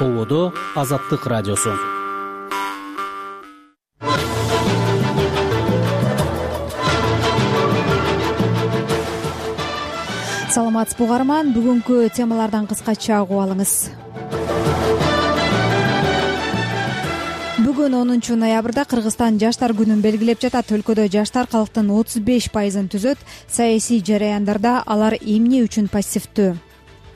Ободо Азаттык радиосу. Саламатсызбы угарман, бүгүнкү темалардан кыскача угуп алыңыз. Бүгүн 10 ноябрда Кыргызстан жаштар күнүн белгилеп жатат. Өлкөдө жаштар калктын 35% түзөт. Саясий жараяндарда алар эмне үчүн пассивдүү?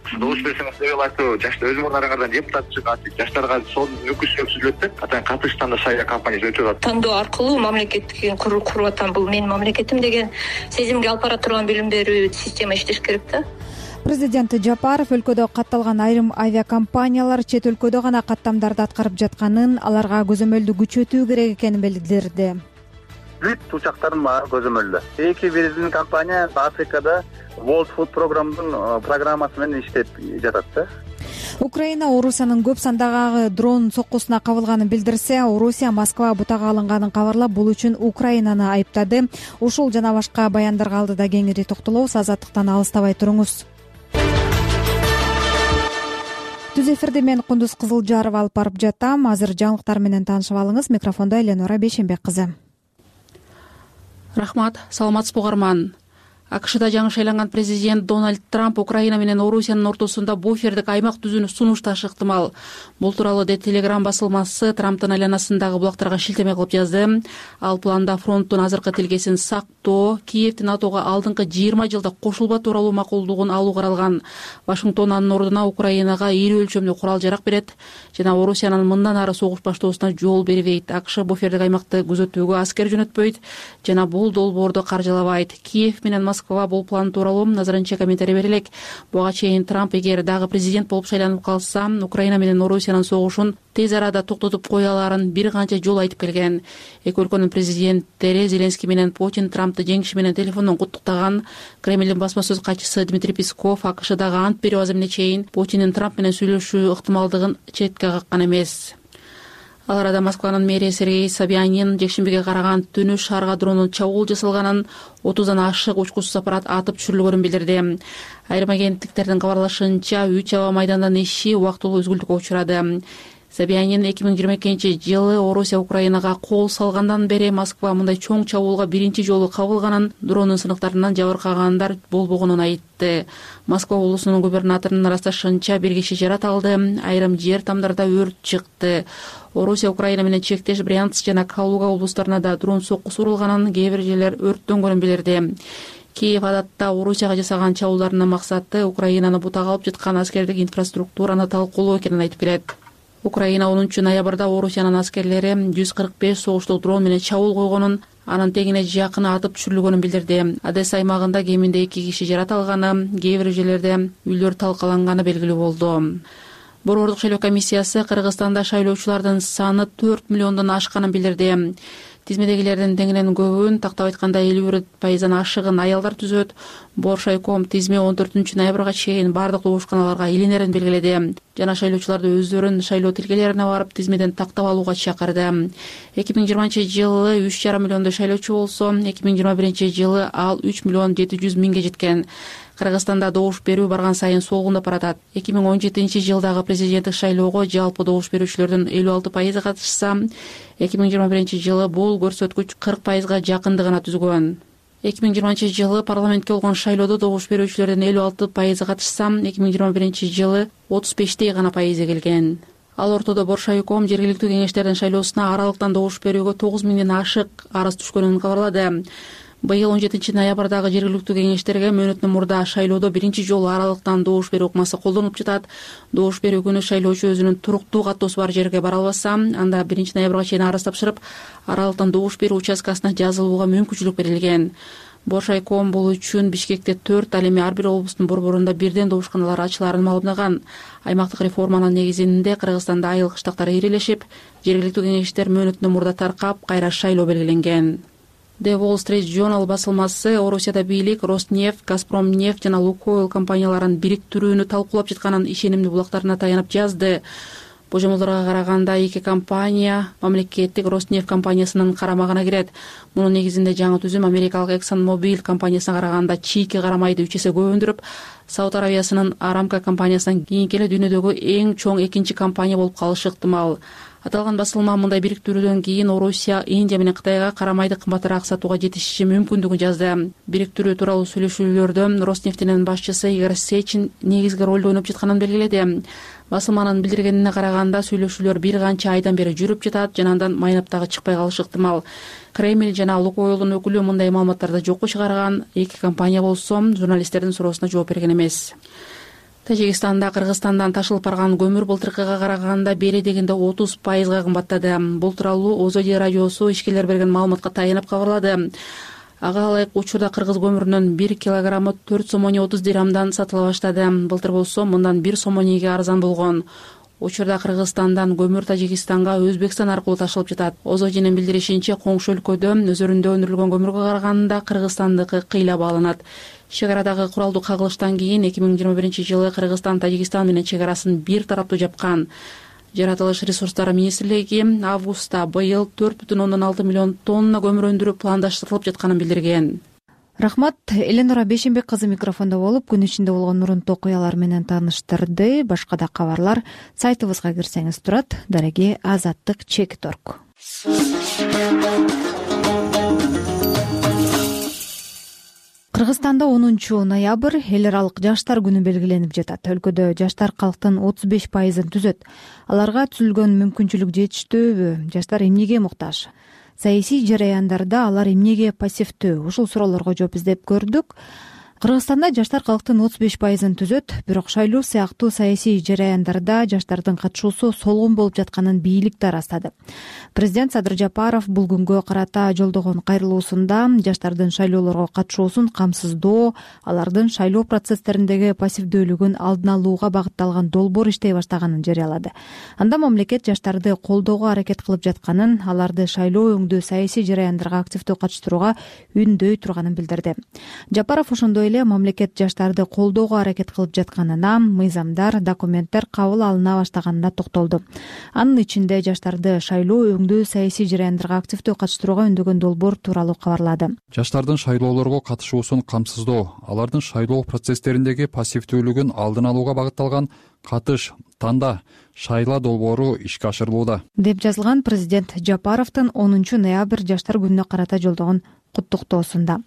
Добуш берсеңиз деп айтуу, жаштар өз мурдарыңардан депутат чыгат, жаштарга сонун өкүлчүлүк түзүлөт деп, атаң катышканда шайлоо кампаниясы өтүп атат. Тандоо аркылуу мамлекетти куруп атам, бул менин мамлекетим деген сезимге алып бара турган билим берүү система иштеш керек да. Президент Жапаров өлкөдө катталган айрым авиакомпаниялар чет өлкөдө гана каттамдарды аткарып жатканын, аларга көзөмөлдү күчөтүү керек экенин билдирди. Бүт учактардын баары көзөмөлдө. Эки биздин компания Африкада World Food программасы менен иштеп жатат да. Украина Орусиянын көп сандагы дрон соккусуна кабылганын билдирсе, Орусия Москва бутага алынганын кабарлап, бул үчүн Украинаны айыптады. Ушул жана башка баяндарга алдыда кеңири токтолобуз. Азаттыктан алыстабай туруңуз. Түз эфирде мен Кундуз Кызылжарова алып барып жатам. Азыр жаңылыктар менен таанышып алыңыз. Микрофондо Эленора Бейшенбек кызы. Рахмат, саламатсызбы угарман. АКШда жаңы шайланган президент Дональд Трамп Украина менен Орусиянын ортосунда буфердик аймак түзүүнү сунушташы ыктымал. Бул тууралуу The Telegram басылмасы Трамптын айланасындагы булактарга шилтеме кылып жазды. Ал планда фронттун азыркы тилкесин сактоо, Киевдин НАТОго алдыңкы 20 жылда кошулба тууралуу макулдугун алуу каралган. Вашингтон анын ордуна Украинага ири өлчөмдүү курал-жарак берет жана Орусиянын мындан ары согуш баштоосуна жол бербейт. АКШ буфердик аймакты күзөтүүгө аскер жөнөтпөйт жана бул долбоорду каржылабайт. Киев менен Москва бул план тууралуу назарынча комментарий бере элек. Буга чейин Трамп эгер дагы президент болуп шайланып калса, Украина менен Орусиянын согушун тез арада токтотуп кое аларын бир канча жолу айтып келген. Эки өлкөнүн президенттери Зеленский менен Путин Трампты жеңиши менен телефондон куттуктаган. Кремлдин басма сөз катчысы Дмитрий Песков АКШдагы ант берүү аземине чейин Путиндин Трамп менен сүйлөшүү ыктымалдыгын четке каккан эмес. Ал арада Москванын мэрии Сергей Собянин жекшембиге караган түнү шаарга дронун чабуул жасалганын, 30дан ашык учкучсуз аппарат атып түшүрүлгөнүн билдирди. Айрым агенттиктердин кабарлашынча, 3 аба майдандын иши убактылуу үзгүлтүккө учурады. Собянин 2022-жылы Орусия Украинага кол салгандан бери Москва мындай чоң чабуулга биринчи жолу кабылганын, дронун сыныктарынан жабыркагандар болбогонун айтты. Москва облусунун губернаторунун ырасташынча, бир киши жаратылды, айрым жер тамдарда өрт чыкты. Орусия Украина менен чектеш Брянск жана Калуга облустарына да дрон соккусу урулганын, кээ бир жерлер өрттөнгөнүн билдирди. Киев адатта Орусияга жасаган чабуулдарынын максаты Украинаны бутага алып жаткан аскердик инфраструктураны талкуулоо экенин айтып келет. Украина 10 ноябрда Орусиянын аскерлери 145 согуштук дрон менен чабуул койгонун, анын тегине жакын атып түшүрүлгөнүн билдирди. Одесса аймагында кеминде 2 киши жаратылганы, кээ бир жерлерде үйлөр талкаланганы белгилүү болду. Борбордук шайлоо комиссиясы Кыргызстанда шайлоочулардын саны 4 миллиондон ашканын билдирди. Тизмедегилердин теңинен көбүн, тактап айтканда 51% ашыгын аялдар түзөт. Боршайком тизме 14 ноябрга чейин бардык добушканаларга илинерин белгиледи жана шайлоочуларды өздөрүн шайлоо тилкелерине барып тизмеден тактап алууга чакырды. 2020-жылы 3,5 миллиондой шайлоочу болсо, 2021-жылы ал 3 миллион 700 миңге жеткен. Кыргызстанда добуш берүү барган сайын солгундап баратат. 2017-жылдагы президенттик шайлоого жалпы добуш берүүчүлөрдүн 56% катышса, 2021-жылы бул көрсөткүч 40%га жакындыгына түзгөн. 2020-жылы парламентке болгон шайлоодо добуш берүүчүлөрдүн 56% катышса, 2021-жылы 35 гана пайызы келген. Ал ортодо Боршайком жергиликтүү кеңештердин шайлоосуна аралыктан добуш берүүгө 9 миңден ашык арыз түшкөнүн кабарлады. Быйыл 17 ноябрдагы жергиликтүү кеңештерге мөөнөттөн мурда шайлоодо биринчи жолу аралыктан добуш берүү ыкмасы колдонулуп жатат. Добуш берүү күнү шайлоочу өзүнүн туруктуу каттоосу бар жерге бара албаса, анда 1 ноябрга чейин арыз тапшырып, аралыктан добуш берүү участкасына жазылууга мүмкүнчүлүк берилген. Боршайком бул үчүн Бишкекте 4, ал эми ар бир облустун борборунда бирден добушканалар ачыларын маалымдаган. Аймактык реформанын негизинде Кыргызстанда айыл кыштактар ирелешип, жергиликтүү кеңештер мөөнөтүнөн мурда таркап, кайра шайлоо белгиленген. The Wall Street Journal басылмасы Орусияда бийлик Роснефть, Газпромнефть жана Лукойл компанияларын бириктирүүнү талкуулап жатканын ишенимдүү булактарына таянып жазды. Божомолдорго караганда эки компания мамлекеттик Роснефть компаниясынын карамагына кирет. Мунун негизинде жаңы түзүм америкалык ExxonMobil компаниясына караганда чийки карамайды 3 эсе көп өндүрүп, Сауд Аравиясынын Aramco компаниясынан кийинки эле дүйнөдөгү эң чоң экинчи компания болуп калышы ыктымал. Аталган басылма мындай бириктирүүдөн кийин Орусия, Индия менен Кытайга карамайды кымбатыраак сатууга жетишиши мүмкүндүгүн жазды. Бириктирүү тууралуу сүйлөшүүлөрдө Роснефтьтин башчысы Игорь Сечин негизги ролду ойноп жатканын белгиледи. Басылманын билдиргенине караганда сүйлөшүүлөр бир канча айдан бери жүрүп жатат жана андан майнап дагы чыкпай калышы ыктымал. Кремль жана Лукойлдун өкүлү мындай маалыматтарды жокко чыгарган. Эки компания болсо журналисттердин суроосуна жооп берген эмес. Тажикстанда Кыргызстандан ташылып барган көмүр былтыркыга караганда бери дегенде 30% кымбаттады. Бул тууралуу Озоди радиосу ишкерлер берген маалыматка таянып кабарлады. Ага ылайык учурда кыргыз көмүрүнүн 1 килограммы 4 сом 30 дирхамдан сатыла баштады. Былтыр болсо мындан 1 сом 2 арзан болгон. Учурда Кыргызстандан көмүр Тажикстанга Өзбекстан аркылуу ташылып жатат. Озодинин билдиришинче, коңшу өлкөдө өзөрүндө өндүрүлгөн көмүргө караганда Кыргызстандыкы кыйла бааланат. Чегарадагы куралдуу кагылыштан кийин 2021-жылы Кыргызстан Тажикстан менен чегарасын бир тараптуу жапкан. Жаратылыш ресурстары министрлиги августта быйыл 4,6 миллион тонна көмүр өндүрүү пландаштырылып жатканын билдирген. Рахмат. Эленора Бешенбек кызы микрофондо болуп, күн ичинде болгон мурунтуу окуялар менен тааныштырды. Башка да кабарлар сайтыбызга кирсеңиз турат. Дареги Азаттык Чек.org. Кыргызстанда 10 ноябрь эл аралык жаштар күнү белгиленип жатат. Өлкөдө жаштар калктын 35%-ын түзөт. Аларга түзүлгөн мүмкүнчүлүк жетиштүүбү? Жаштар эмнеге муктаж? Саясий жараяндарда алар эмнеге пассивдүү? Ушул суроолорго жооп издеп көрдүк. Кыргызстанда жаштар калктын 35%-ын түзөт, бирок шайлоо сыяктуу саясий жараяндарда жаштардын катышуусу солгун болуп жатканын бийлик да ырастады. Президент Садыр Жапаров бул күнгө карата жолдогон кайрылуусунда жаштардын шайлоолорго катышуусун камсыздоо, алардын шайлоо процесстериндеги пассивдүүлүгүн алдын алууга багытталган долбоор иштей баштаганын жарыялады. Анда мамлекет жаштарды колдоого аракет кылып жатканын, аларды шайлоо өңдүү саясий жараяндарга активдүү катыштырууга үндөй турганын билдирди. Жапаров ошондой эле мамлекет жаштарды колдоого аракет кылып жатканына, мыйзамдар, документтер кабыл алына баштаганына токтолду. Анын ичинде жаштарды шайлоо өңдүү саясий жараяндарга активдүү катыштырууга үндөгөн долбоор тууралуу кабарлады. Жаштардын шайлоолорго катышуусун камсыздоо, алардын шайлоо процесстериндеги пассивдүүлүгүн алдын алууга багытталган катыш, танда, шайла долбоору ишке ашырылууда, деп жазылган президент Жапаровдун 10 ноябрь жаштар күнүнө карата жолдогон куттуктоосунда.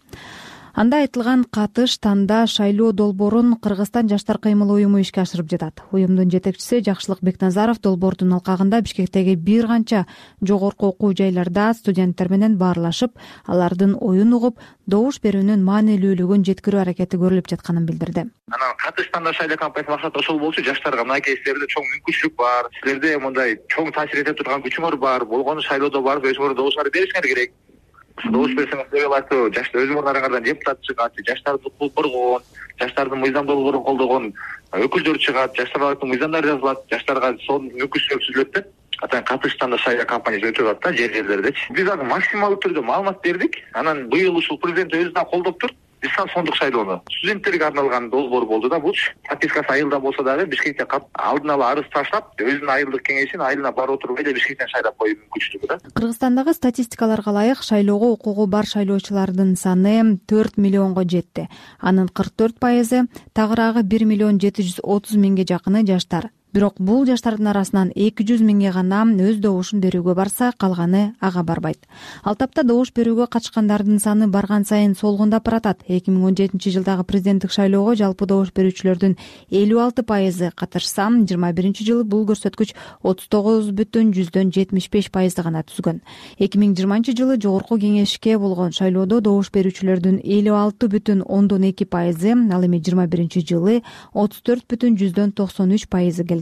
Анда айтылган катыш, танда, шайлоо долбоорун Кыргызстан жаштар кыймыл уюму ишке ашырып жатат. Уюмдун жетекчиси Жакшылык Бекназаров долбоордун алкагында Бишкектеги бир канча жогорку окуу жайларда студенттер менен баарлашып, алардын оюн угуп, добуш берүүнүн маанилүүлүгүн жеткирүү аракети көрүлүп жатканын билдирди. Анан катыш, танда, шайлоо кампаниясынын максаты ошол болчу. Жаштарга мынакей силерде чоң мүмкүнчүлүк бар, силерде мындай чоң таасир эте турган күчүңөр бар, болгону шайлоодо барып өзүңөр добуштарды беришиңер керек. Добуш берсеңиз деп атуу, жаштар өз орундарыңардан депутат чыгат, жаштарды укук коргоон, жаштардын мыйзам долбоорун колдогон өкүлдөр чыгат, жаштардын мыйзамдары жазылат, жаштарга сонун мүмкүнчүлүк түзүлөт деп атайын катыштан да шайлоо кампаниясы өтүп атат да жерлердечи. Биз азыр максималдуу түрдө маалымат бердик. Анан быйыл ушул президент өзү да колдоп тур. Дистанциондук шайлоону студенттерге арналган долбоор болду да. Бул подпискасы айылда болсо дагы Бишкекте алдын ала арыз таштап, өзүнүн айылдык кеңешин айылына барып отуруп эле Бишкектен шайлап коюу мүмкүнчүлүгү да. Кыргызстандагы статистикаларга ылайык шайлоого укугу бар шайлоочулардын саны 4 миллионго жетти. Анын 44%, тагыраагы 1 миллион 730 миңге жакыны жаштар. Бирок бул жаштардын арасынан 200 миңге гана өз добушун берүүгө барса, калганы ага барбайт. Ал тапта добуш берүүгө катышкандардын саны барган сайын солгундап баратат. 2017-жылдагы президенттик шайлоого жалпы добуш берүүчүлөрдүн 56% катышса, 2021-жылы бул көрсөткүч 39,75% гана түзгөн. 2020-жылы жогорку кеңешке болгон шайлоодо добуш берүүчүлөрдүн 56,2%, ал эми 2021-жылы 34,93% келген.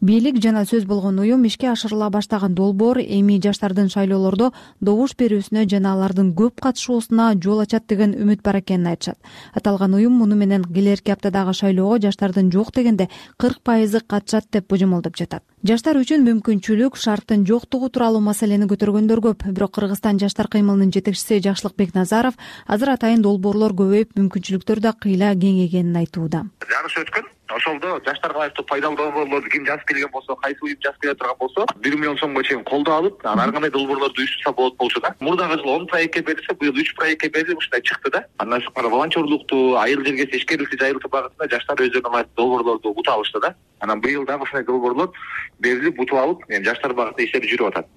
Бийлик жана сөз болгон уюм ишке ашырыла баштаган долбоор эми жаштардын шайлоолордо добуш берүүсүнө жана алардын көп катышуусуна жол ачат деген үмүт бар экенин айтышат. Аталган уюм муну менен келерки аптадагы шайлоого жаштардын жок дегенде 40% катышат деп божомолдоп жатат. Жаштар үчүн мүмкүнчүлүк шарттын жоктугу тууралуу маселени көтөргөндөр көп. Бирок Кыргызстан жаштар кыймылынын жетекчиси Жакшылык Бекназаров азыр атайын долбоорлор көбөйүп, мүмкүнчүлүктөр да кыйла кеңейгенин айтууда. Жарыш өткөн. Ошолдо жаштарга айлыктуу пайдалуу долбоорлорду ким жазып келген болсо, кайсы уюм жазып келе турган болсо 1 миллион сомго чейин колдоо алып, анан ар кандай долбоорлорду уюштурса болот болчу да. Мурдагы жылы 10 проектке берилсе, быйыл 3 проектке берилип ушундай чыкты да. Андан тышкары волонтерлукту, айыл жерге ишкерликти жайылтуу багытында жаштар өздөрүнө ылайыктуу долбоорлорду утуп алышты да. Анан быйыл дагы ушундай долбоорлор берилип, утуп алып, эми жаштар багытында иштер жүрүп атат.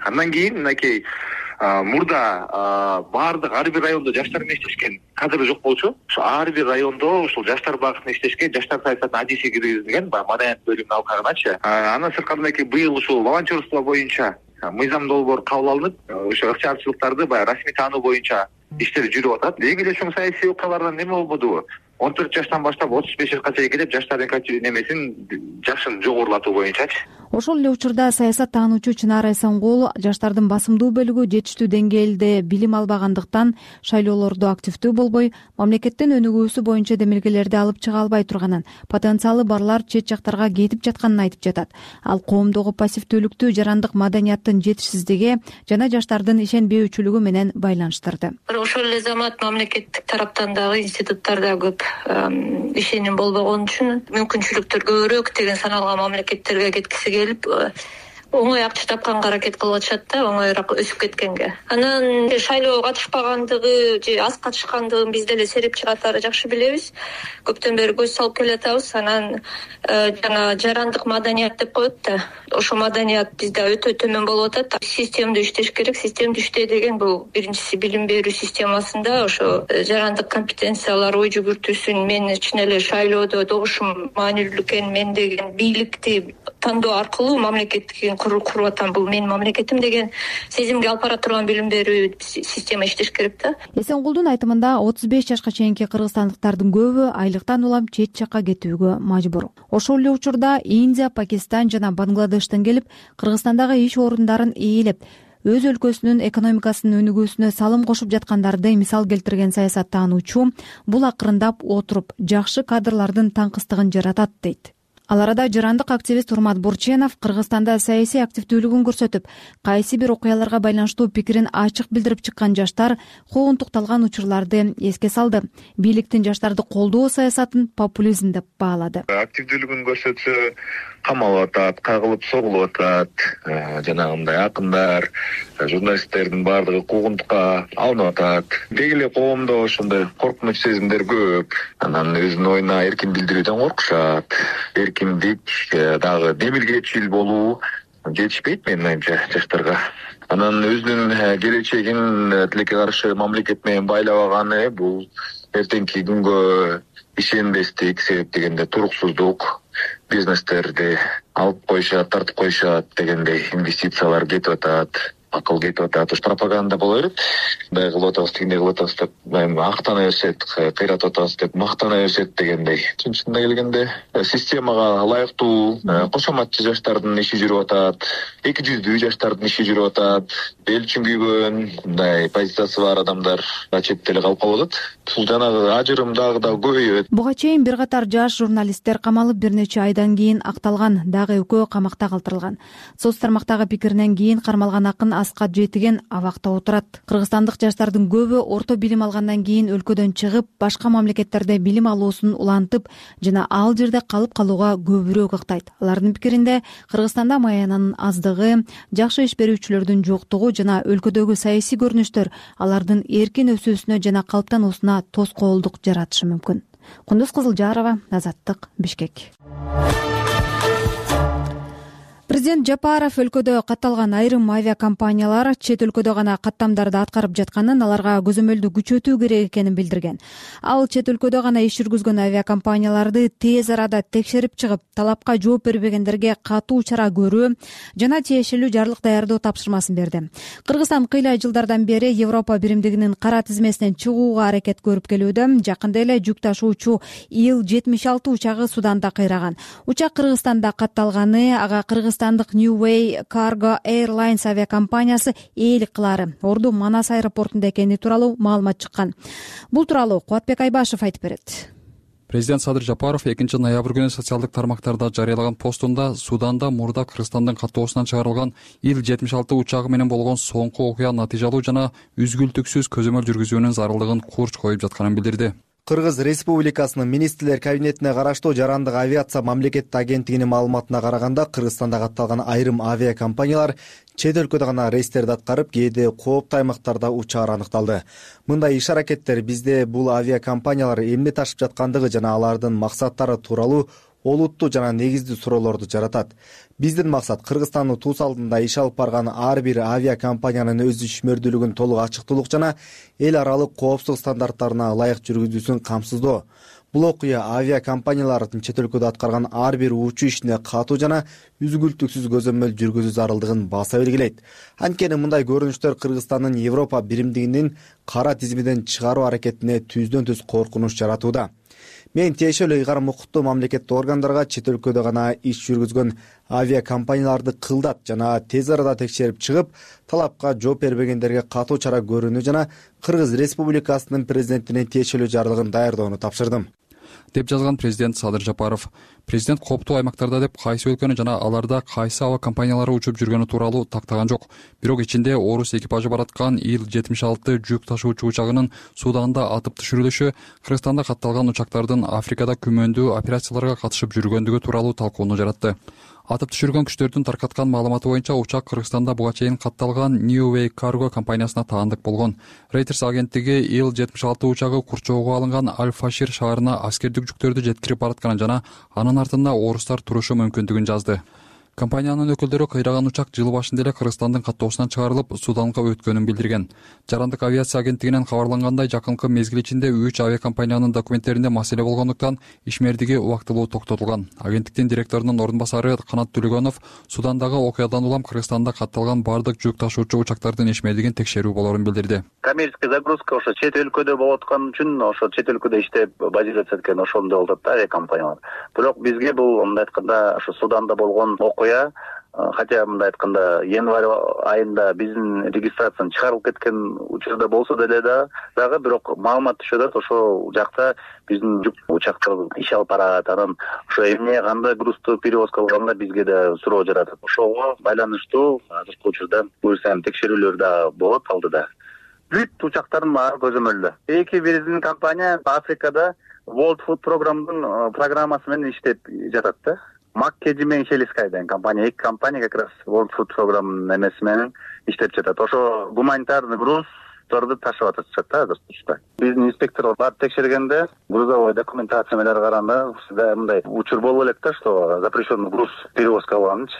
Андан кийин мынакей мурда баардык ар бир райондо жаштар менен иштешкен кадр жок болчу. Ошо ар бир райондо ушул жаштар багытында иштешкен жаштар саясатына адиси киргизилген, баягы маданият бөлүмүнүн алкагыначы. Андан сырткары мынакей быйыл ушул волонтерство боюнча мыйзам долбоор кабыл алынып, ошо ыкчамчылыктарды баягы расмий таануу боюнча иштер жүрүп атат. Эң эле чоң саясий окуялардан неме болбодубу? 14 жаштан баштап 35 жашка чейин келип жаштардын немесин жашын жогорулатуу боюнчачы. Ошол эле учурда саясат таануучу Чынара Эсенгул жаштардын басымдуу бөлүгү жетиштүү деңгээлде билим албагандыктан шайлоолордо активдүү болбой, мамлекеттин өнүгүүсү боюнча демилгелерди алып чыга албай турганын, потенциалы барлар чет жактарга кетип жатканын айтып жатат. Ал коомдогу пассивдүүлүктү жарандык маданияттын жетишсиздиги жана жаштардын ишенбөөчүлүгү менен байланыштырды. Ошол эле замат мамлекеттик тараптан дагы институттарда көп ишеним болбогон үчүн мүмкүнчүлүктөр көбүрөөк деген саналган мамлекеттерге кеткиси келип оңой акча тапканга аракет кылып атышат да, оңоюраак өсүп кеткенге. Анан шайлоого катышпагандыгы же аз катышкандыгын биз деле сереп чыгатары жакшы билебиз. Көптөн бери көз салып келатабыз. Анан жана жарандык маданият деп коет да. Ошо маданият бизде өтө төмөн болуп атат. Системдүү иштеш керек. Системдүү иштөө деген бул биринчиси билим берүү системасында ошо жарандык компетенциялар ой жүгүртүүсүн мен чын эле шайлоодо добушум маанилүү экен, мен деген бийликти тандоо аркылуу мамлекеттик куруп атам, бул менин мамлекетим деген сезимге алып бара турган билим берүү система иштеш керек да. Эсенгулдун айтымында 35 жашка чейинки кыргызстандыктардын көбү айлыктан улам чет жакка кетүүгө мажбур. Ошол эле учурда Индия, Пакистан жана Бангладештен келип Кыргызстандагы иш орундарын ээлеп, өз өлкөсүнүн экономикасынын өнүгүүсүнө салым кошуп жаткандарды мисал келтирген саясат таануучу бул акырындап отуруп жакшы кадрлардын таңкыстыгын жаратат дейт. Ал арада жарандык активист Урмат Бурченов Кыргызстанда саясий активдүүлүгүн көрсөтүп, кайсы бир окуяларга байланыштуу пикирин ачык билдирип чыккан жаштар куугунтукталган учурларды эске салды. Бийликтин жаштарды колдоо саясатын популизм деп баалады. Активдүүлүгүн көрсөтсө камалып атат, кагылып согулуп атат, жанагындай акындар, журналисттердин баардыгы куугунтукка алынып атат. Деги эле коомдо ошондой коркунуч сезимдер көп. Анан өзүнүн оюна эркин билдирүүдөн коркушат. Эркиндик дагы демилгечил болуу жетишпейт менин оюмча жаштарга. Анан өзүнүн келечегин тилекке каршы мамлекет менен байлабаганы бул эртеңки күнгө ишенбестик, себеп дегенде туруксуздук, бизнестерди алып коюшат, тартып коюшат дегендей инвестициялар кетип атат, акыл кетип атат. Ушу пропаганда боло берет. Мындай кылып атабыз, тигиндей кылып атабыз деп мактана беришет, кыйратып атабыз деп мактана беришет дегендей. Чынында келгенде системага ылайыктуу кошоматчы жаштардын иши жүрүп атат, эки жүздүү жаштардын иши жүрүп атат. Эл үчүн күйгөн мындай позициясы бар адамдар четте эле калып калып атат. Бул жанагы ажырым дагы да көбөйөт. Буга чейин бир катар жаш журналисттер камалып, бир нече айдан кийин акталган, дагы экөө камакта калтырылган. Соц тармактагы пикиринен кийин кармалган акын Аскат Жетиген абакта отурат. Кыргызстандык жаштардын көбү орто билим алгандан кийин өлкөдөн чыгып, башка мамлекеттерде билим алуусун улантып жана ал жерде калып калууга көбүрөөк ыктайт. Алардын пикиринде Кыргызстанда маянанын аздыгы, жакшы иш берүүчүлөрдүн жоктугу жана өлкөдөгү саясий көрүнүштөр алардын эркин өсүүсүнө жана калыптануусуна тоскоолдук жаратышы мүмкүн. Кундуз Кызылжарова, Азаттык, Бишкек. Президент Жапаров өлкөдө катталган айрым авиакомпаниялар чет өлкөдө гана каттамдарды аткарып жатканын, аларга көзөмөлдү күчөтүү керек экенин билдирген. Ал чет өлкөдө гана иш жүргүзгөн авиакомпанияларды тез арада текшерип чыгып, талапка жооп бербегендерге катуу чара көрүү жана тиешелүү жарлык даярдоо тапшырмасын берди. Кыргызстан кыйла жылдардан бери Европа биримдигинин кара тизмесинен чыгууга аракет көрүп келүүдө. Жакында эле жүк ташуучу Ил-76 учагы Суданда кыйраган. Учак Кыргызстанда катталганы, ага Кыргызстандык New Way Cargo Airlines авиакомпаниясы ээлик кылаары Орду Манас аэропортунда экени тууралуу маалымат чыккан. Бул тууралуу Кубатбек Айбашев айтып берет. Президент Садыр Жапаров 2-ноябрь күнү социалдык тармактарда жарыялаган постунда Суданда мурда Кыргызстандын каттоосунан чыгарылган Ил-76 учагы менен болгон соңку окуя натыйжалуу жана үзгүлтүксүз көзөмөл жүргүзүүнүн зарылдыгын курч коюп жатканын билдирди. Кыргыз Республикасынын министрлер кабинетине караштуу Жарандык авиация мамлекеттик агенттигинин маалыматына караганда, Кыргызстанда катталган айрым авиакомпаниялар чет өлкөдө гана рейстерди аткарып, кээде кооптуу аймактарда учаар аныкталды. Мындай иш-аракеттер бизде бул авиакомпаниялар эмне ташып жаткандыгы жана алардын максаттары тууралуу олуттуу жана негиздүү суроолорду жаратат. Биздин максат Кыргызстандын туус алдында иш алып барган ар бир авиакомпаниянын өз ишмердүүлүгүн толук ачыктуулук жана эл аралык коопсуздук стандарттарына ылайык жүргүзүүсүн камсыздоо. Бул окуя авиакомпаниялардын чет өлкөдө аткарган ар бир учуу ишине катуу жана үзгүлтүксүз көзөмөл жүргүзүү зарылдыгын баса белгилейт. Анткени мындай көрүнүштөр Кыргызстандын Европа биримдигинин кара тизимиден чыгаруу аракетине түздөн-түз коркунуч жаратууда. Мен тиешелүү ыйгарым укуктуу мамлекеттик органдарга чет өлкөдө гана иш жүргүзгөн авиакомпанияларды кылдат жана тез арада текшерип чыгып, талапка жооп бербегендерге катуу чара көрүүнү жана Кыргыз Республикасынын президентине тиешелүү жарлыгын даярдоону тапшырдым, деп жазган президент Садыр Жапаров. Президент кооптуу аймактарда деп кайсы өлкөнү жана аларда кайсы аба компаниялары учуп жүргөнү тууралуу тактаган жок. Бирок ичинде орус экипажы бараткан Ил-76 жүк ташуучу учагынын Суданда атып түшүрүлүшү, Кыргызстанда катталган учактардын Африкада күмөндүү операцияларга катышып жүргөндүгү тууралуу талкууну жаратты. Атып түшүргөн күчтөрдүн таркаткан маалыматы боюнча учак Кыргызстанда буга чейин катталган New Way Cargo компаниясына таандык болгон. Reuters агенттиги Ил-76 учагы курчоого алынган Аль-Фашир шаарына аскердик жүктөрдү жеткирип баратканын жана анын артында орустар турушу мүмкүндүгүн жазды. Компаниянын өкүлдөрү кыйраган учак жыл башында эле Кыргызстандын каттоосунан чыгарылып, Суданга өткөнүн билдирген. Жарандык авиация агенттигинен кабарлангандай, жакынкы мезгил ичинде 3 авиакомпаниянын документтеринде маселе болгондуктан ишмердиги убактылуу токтотулган. Агенттиктин директорунун ордун басары Канат Төлөгөнов Судандагы окуядан улам Кыргызстанда катталган бардык жүк ташуучу учактардын ишмердигин текшерүү болорун билдирди. Коммерческий загрузка ошо чет өлкөдө болуп аткан үчүн, ошо чет өлкөдө иштеп базироваться эткен ошондой болуп атат авиакомпаниялар. Бирок бизге бул мындай айтканда ошо Суданда болгон окуя, хотя мындай айтканда январь айында биздин регистрациянын чыгарылып кеткен учурда болсо деле дагы бирок маалымат түшүп атат, ошол жакта биздин жүк учактар иш алып барат, анан ошо эмне кандай грузду перевозка кылганда бизге да суроо жаратат. Ошого байланыштуу азыркы учурда буюрса текшерүүлөр да болот алдыда. Бүт учактардын баары көзөмөлдө. Эки биздин компания Африкада World Food программасы менен иштеп жатат да. Маккеджи менен Шелискай деген компания, эки компания как раз World Food программанын эмеси менен иштеп жатат. Ошо гуманитарный груздарды ташып атышат да азыр. Биздин инспекторлор барып текшергенде, грузовой документацияларга караганда мындай учур болуп элек да, что запрещенный груз перевозка кылганчы.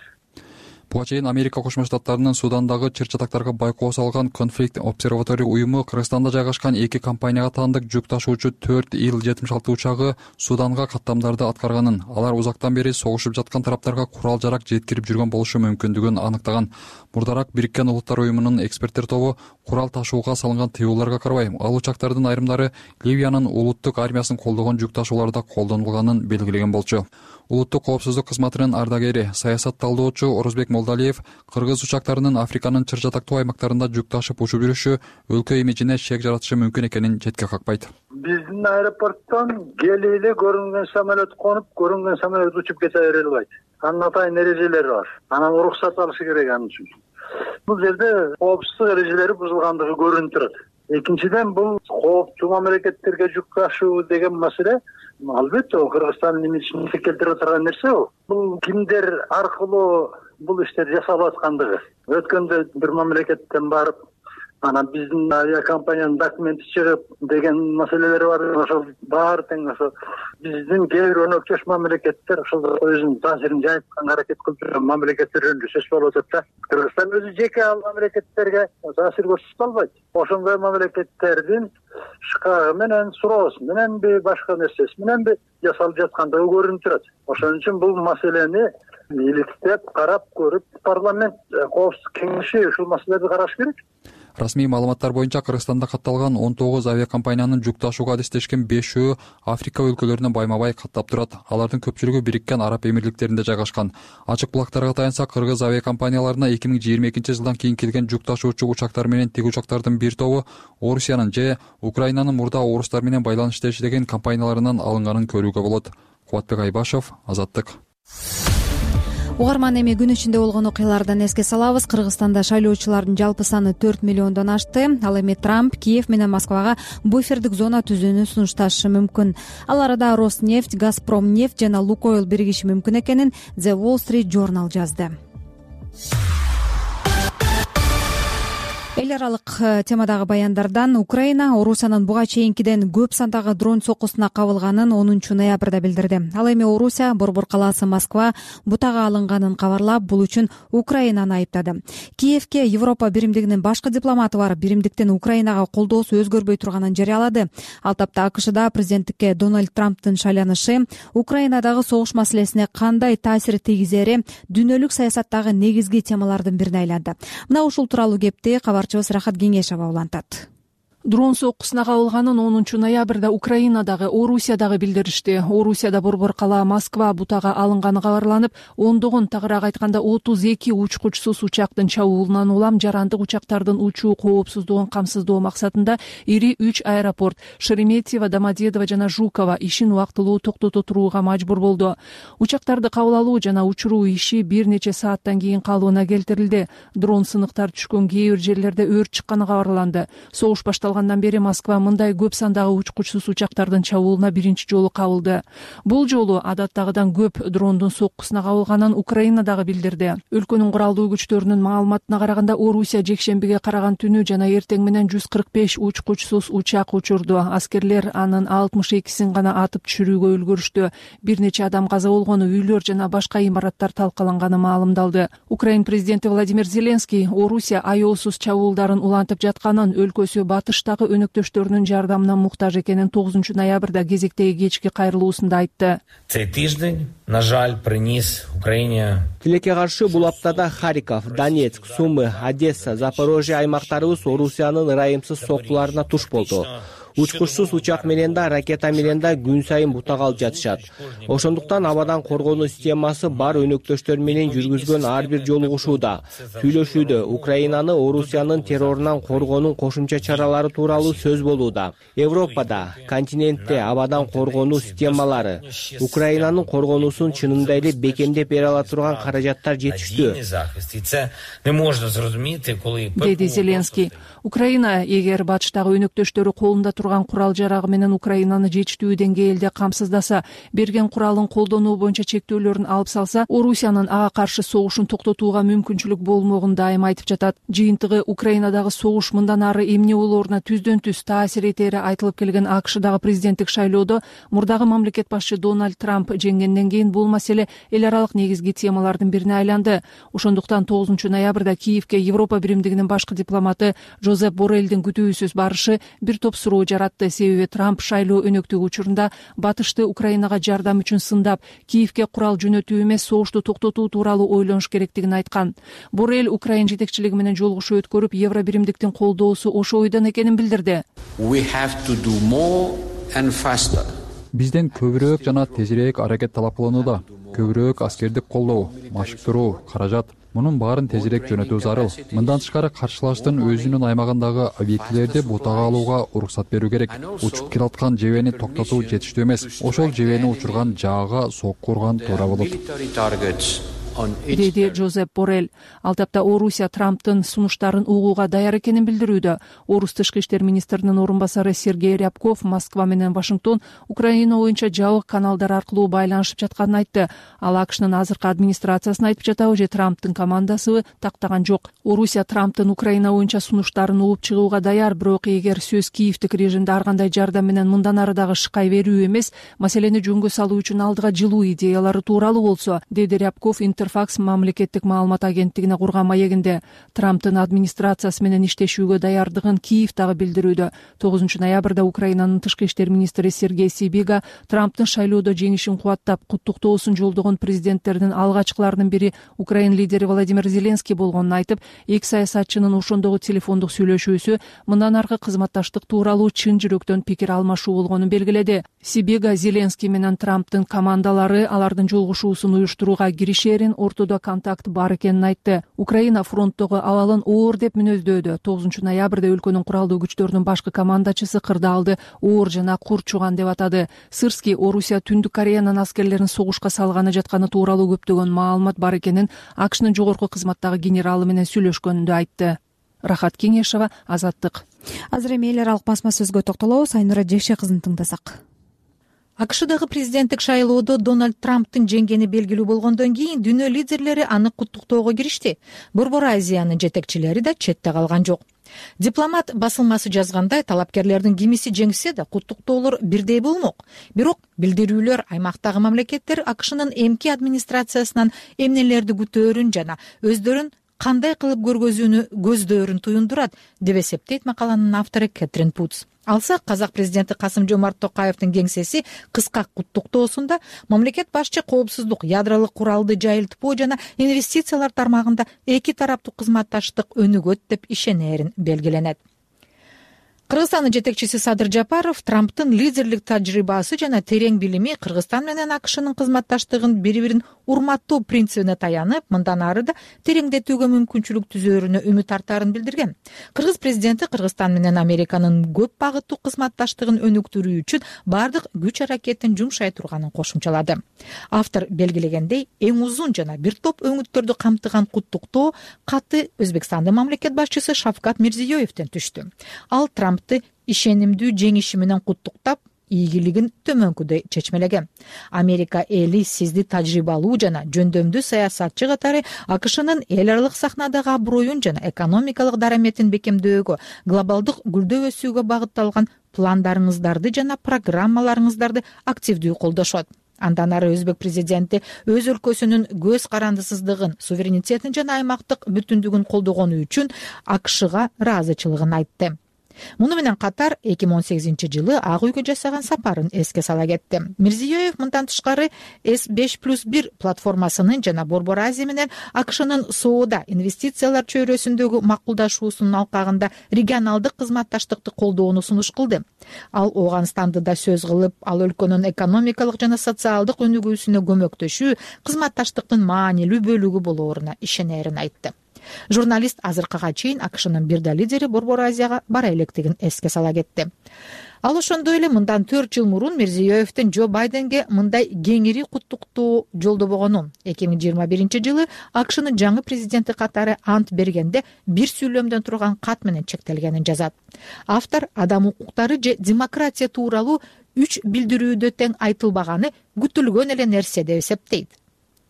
Буга чейин Америка Кошмо Штаттарынын Судандагы чыр-чатактарга байкоо салган Conflict Observatory уюму Кыргызстанда жайгашкан эки компанияга таандык жүк ташуучу 4 Ил-76 учагы Суданга каттамдарды аткарганын, алар узактан бери согушуп жаткан тараптарга курал-жарак жеткирип жүргөн болушу мүмкүндүгүн аныктаган. Мурдараак Бириккен Улуттар уюмунун эксперттер тобу курал ташууга салынган тыюуларга карабай, ал учактардын айрымдары Ливиянын улуттук армиясын колдогон жүк ташууларда колдонулганын белгилеген болчу. Улуттук коопсуздук кызматынын ардагери, саясат талдоочу Орозбек Молдалиев кыргыз учактарынын Африканын чыр-чатактуу аймактарында жүк ташып учуп жүрүшү өлкө имиджине шек жаратышы мүмкүн экенин четке какпайт. Биздин аэропорттон келип эле көрүнгөн самолет конуп, көрүнгөн самолет учуп кете бере албайт. Анын атайын эрежелери бар. Анан уруксат алышы керек анын үчүн. Бул жерде коопсуздук эрежелери бузулгандыгы көрүнүп турат. Экинчиден, бул кооптуу мамлекеттерге жүк ташуу деген маселе албетте Кыргызстандын имиджин келтирип турган нерсе. Бул кимдер аркылуу бул иштер жасалып аткандыгы. Өткөндө бир мамлекеттен барып, анан биздин авиакомпаниянын документи чыгып деген маселелер бар. Ошол баары тең ошо биздин кээ бир өнөкчөш мамлекеттер ошол өзүнүн таасирин жайтканга аракет кылып жүргөн мамлекеттер жөнүндө сөз болуп атат да. Кыргызстан өзү жеке ал мамлекеттерге таасир көрсөтө албайт. Ошондой мамлекеттердин шкагы менен, суроосу мененби, башка нерсеси мененби жасалып жаткандыгы көрүнүп турат. Ошон үчүн бул маселени иликтеп, карап көрүп, парламент коопсуздук кеңеши ушул маселелерди караш керек. Расмий маалыматтар боюнча Кыргызстанда катталган 19 авиакомпаниянын жүк ташууга адистешкен 5-өө Африка өлкөлөрүнө байма-бай каттап турат. Алардын көпчүлүгү Бириккен Араб Эмирликтеринде жайгашкан. Ачык булактарга таянса, кыргыз авиакомпанияларына 2022 жылдан кийин келген жүк ташуучу учактар менен тиг учактардын бир тобу Орусиянын же Украинанын мурда орустар менен байланышта иштеген компанияларынан алынганын көрүүгө болот. Кубатбек Айбашев, Азаттык. угарман, эми күн ичинде болгон окуялардан эске салабыз. Кыргызстанда шайлоочулардын жалпы саны 4 миллиондон ашты. Ал эми Трамп Киев менен Москвага буфердик зона түзүүнү сунушташы мүмкүн. Ал арада Роснефть, Газпромнефть жана Лукойл биригиши мүмкүн экенин The Wall Street Journal жазды. Эл аралык темадагы баяндардан Украина Орусиянын буга чейинкиден көп сандагы дрон соккусуна кабылганын 10 ноябрда билдирди. Ал эми Орусия борбор калаасы Москва бутага алынганын кабарлап, бул үчүн Украинаны айыптады. Киевке Европа биримдигинин башкы дипломаты барып, биримдиктин Украинага колдоосу өзгөрбөй турганын жарыялады. Ал тапта АКШда президенттикке Дональд Трамптын шайланышы Украинадагы согуш маселесине кандай таасир тийгизери дүйнөлүк саясаттагы негизги темалардын бирине айланды. Мына ушул тууралуу кепти Рахат Кеңешова улантат. Дрон соккусуна кабылганын 10 ноябрда Украинадагы, Орусиядагы билдиришти. Орусияда борбор калаа Москва бутага алынганы кабарланып, ондогон, тагыраак айтканда 32 учкучсуз учактын чабуулунан улам жарандык учактардын учуу коопсуздугун камсыздоо максатында ири 3 аэропорт Шереметьево, Домодедово жана Жуково ишин убактылуу токтото турууга мажбур болду. Учактарды кабыл алуу жана учуруу иши бир нече сааттан кийин калыбына келтирилди. Дрон сыныктар түшкөн кээ бир жерлерде өрт чыкканы кабарланды. Согуш башталгандан бери Москва мындай көп сандагы учкучсуз учактардын чабуулуна биринчи жолу кабылды. Бул жолу адаттагыдан көп дрондун соккусуна кабылганын Украина дагы билдирди. Өлкөнүн куралдуу күчтөрүнүн маалыматына караганда, Орусия жекшембиге караган түнү жана эртең менен 145 учкучсуз учак учурду. Аскерлер анын 62син гана атып түшүрүүгө үлгүрүштү. Бир нече адам каза болгону, үйлөр жана башка имараттар талкаланганы маалымдалды. Украин президенти Владимир Зеленский Орусия аеосуз чабуулдарын улантып жатканын, өлкөсү батыштагы өнөктөштөрүнүн жардамына муктаж экенин 9 ноябрда кезектеги кечки кайрылуусунда айтты. Тилекке каршы бул аптада Харьков, Донецк, Сумы, Одесса, Запорожье аймактарыбыз Орусиянын ырайымсыз соккуларына туш болду. Учкучсуз учак менен да, ракета менен да күн сайын бутага алып жатышат. Ошондуктан абадан коргонуу системасы бар өнөктөштөр менен жүргүзгөн ар бир жолугушууда, сүйлөшүүдө Украинаны Орусиянын террорунан коргоонун кошумча чаралары тууралуу сөз болууда. Европада, континентте абадан коргонуу системалары, Украинанын коргонуусун чынында эле бекемдеп бере ала турган каражаттар жетиштүү, деди Зеленский. Украина эгер батыштагы өнөктөштөрү колунда турган курал жарагы менен Украинаны жетиштүү деңгээлде камсыздаса, берген куралын колдонуу боюнча чектөөлөрүн алып салса, Орусиянын ага каршы согушун токтотууга мүмкүнчүлүк болмогун дайым айтып жатат. Жыйынтыгы Украинадагы согуш мындан ары эмне болооруна түздөн түз таасир этери айтылып келген АКШдагы президенттик шайлоодо мурдагы мамлекет башчы Дональд Трамп жеңгенден кийин бул маселе эл аралык негизги темалардын бирине айланды. Ошондуктан 9 ноябрда Киевке Европа биримдигинин башкы дипломаты Жозеп Боррелдин күтүүсүз барышы бир топ суроо жаратты. Себеби Трамп шайлоо өнөктүгү учурунда батышты Украинага жардам үчүн сындап, Киевке курал жөнөтүү эмес, согушту токтотуу тууралуу ойлонуш керектигин айткан. Боррель Украин жетекчилиги менен жолугушуу өткөрүп, Евро биримдиктин колдоосу ошо ойдон экенин билдирди. Бизден көбүрөөк жана тезирээк аракет талап кылынууда. Көбүрөөк аскердик колдоо, машыктыруу, каражат. Мунун баарын тезирээк жөнөтүү зарыл. Мындан тышкары каршылаштын өзүнүн аймагындагы объектилерди бутага алууга уруксат берүү керек. Учуп келаткан жебени токтотуу жетиштүү эмес. Ошол жебени учурган жаага сокку урган туура болот, деди Жозеп Боррель. Ал тапта Орусия Трамптын сунуштарын угууга даяр экенин билдирүүдө. Орус тышкы иштер министринин орун басары Сергей Рябков Москва менен Вашингтон Украина боюнча жабык каналдар аркылуу байланышып жатканын айтты. Ал АКШнын азыркы администрациясын айтып жатабы же Трамптын командасыбы тактаган жок. Орусия Трамптын Украина боюнча сунуштарын угуп чыгууга даяр, бирок эгер сөз Киевдик режимде ар кандай жардам менен мындан ары дагы шыкай берүү эмес, маселени жөнгө салуу үчүн алдыга жылуу идеялары тууралуу болсо, деди Рябков Интерфакс мамлекеттик маалымат агенттигине курган маегинде. Трамптын администрациясы менен иштешүүгө даярдыгын Киев дагы билдирүүдө. 9 ноябрда Украинанын тышкы иштер министри Сергей Сибига Трамптын шайлоодо жеңишин кубаттап, куттуктоосун жолдогон президенттердин алгачкыларынын бири Украин лидери Владимир Зеленский болгонун айтып, эки саясатчынын ошондогу телефондук сүйлөшүүсү мындан аркы кызматташтык тууралуу чын жүрөктөн пикир алмашуу болгонун белгиледи. Сибига Зеленский менен Трамптын командалары алардын жолугушуусун уюштурууга киришээрин менен ортодо контакт бар экенин айтты. Украина фронттогу абалын оор деп мүнөздөөдө. 9 ноябрда өлкөнүн куралдуу күчтөрүнүн башкы командачысы кырдаалды оор жана курчуган деп атады. Сырский Орусия Түндүк Кореянын аскерлерин согушка салганы жатканы тууралуу көптөгөн маалымат бар экенин АКШнын жогорку кызматтагы генералы менен сүйлөшкөнүндө айтты. Рахат Кеңешова, Азаттык. Азыр эми эл аралык басма сөзгө токтолобуз. Айнура Жекше кызын тыңдасак. АКШдагы президенттик шайлоодо Дональд Трамптын жеңгени белгилүү болгондон кийин дүйнө лидерлери аны куттуктоого киришти. Борбор Азиянын жетекчилери да четте калган жок. Дипломат басылмасы жазгандай, талапкерлердин кимиси жеңсе да куттуктоолор бирдей болмок. Бирок билдирүүлөр аймактагы мамлекеттер АКШнын эмки администрациясынан эмнелерди күтөөрүн жана өздөрүн кандай кылып көргөзүүнү көздөөрүн туюндурат деп эсептейт макаланын автору Кэтрин Путс. Алсак, казак президенти Касым-Жомарт Токаевдин кеңсеси кыска куттуктоосунда мамлекет башчы коопсуздук, ядролук куралды жайылтпоо жана инвестициялар тармагында эки тараптуу кызматташтык өнүгөт деп ишенерин белгиленет. Кыргызстандын жетекчиси Садыр Жапаров Трамптын лидерлик тажрыйбасы жана терең билими Кыргызстан менен АКШнын кызматташтыгын бири-бирин урматтоо принцибине таянып, мындан ары да тереңдетүүгө мүмкүнчүлүк түзөөрүнө үмүт артаарын билдирген. Кыргыз президенти Кыргызстан менен Американын көп багыттуу кызматташтыгын өнүктүрүү үчүн бардык күч аракетин жумшай турганын кошумчалады. Автор белгилегендей, эң узун жана бир топ өңүттөрдү камтыган куттуктоо каты Өзбекстандын мамлекет башчысы Шавкат Мирзиёевден түштү. Ал Трампты ишенимдүү жеңиши менен куттуктап, ийгилигин төмөнкүдөй чечмелеген. Америка эли сизди тажрыйбалуу жана жөндөмдүү саясатчы катары АКШнын эл аралык сахнадагы аброюн жана экономикалык дараметин бекемдөөгө, глобалдык гүлдөө өсүүгө багытталган пландарыңыздарды жана программаларыңыздарды активдүү колдошот. Андан ары өзбек президенти өз өлкөсүнүн көз карандысыздыгын, суверенитетин жана аймактык бүтүндүгүн колдогону үчүн АКШга ыраазычылыгын айтты. Муну менен катар 2018-жылы Ак үйгө жасаган сапарын эске сала кетти. Мирзиёев мындан тышкары S5+1 платформасынын жана Борбор Азия менен АКШнын соода, инвестициялар чөйрөсүндөгү макулдашуусунун алкагында регионалдык кызматташтыкты колдоону сунуш кылды. Ал Ооганстанды да сөз кылып, ал өлкөнүн экономикалык жана социалдык өнүгүүсүнө көмөктөшүү кызматташтыктын маанилүү бөлүгү болооруна ишенерин айтты. Журналист азыркыга чейин АКШнын бир да лидери Борбор Азияга бара электигин эске сала кетти. Ал ошондой эле мындан 4 жыл мурун Мирзиёевдин Джо Байденге мындай кеңири куттуктоо жолдобогонун, 2021-жылы АКШнын жаңы президенти катары ант бергенде бир сүйлөмдөн турган кат менен чектелгенин жазат. Автор адам укуктары же демократия тууралуу 3 билдирүүдө тең айтылбаганы күтүлгөн эле нерсе деп эсептейт.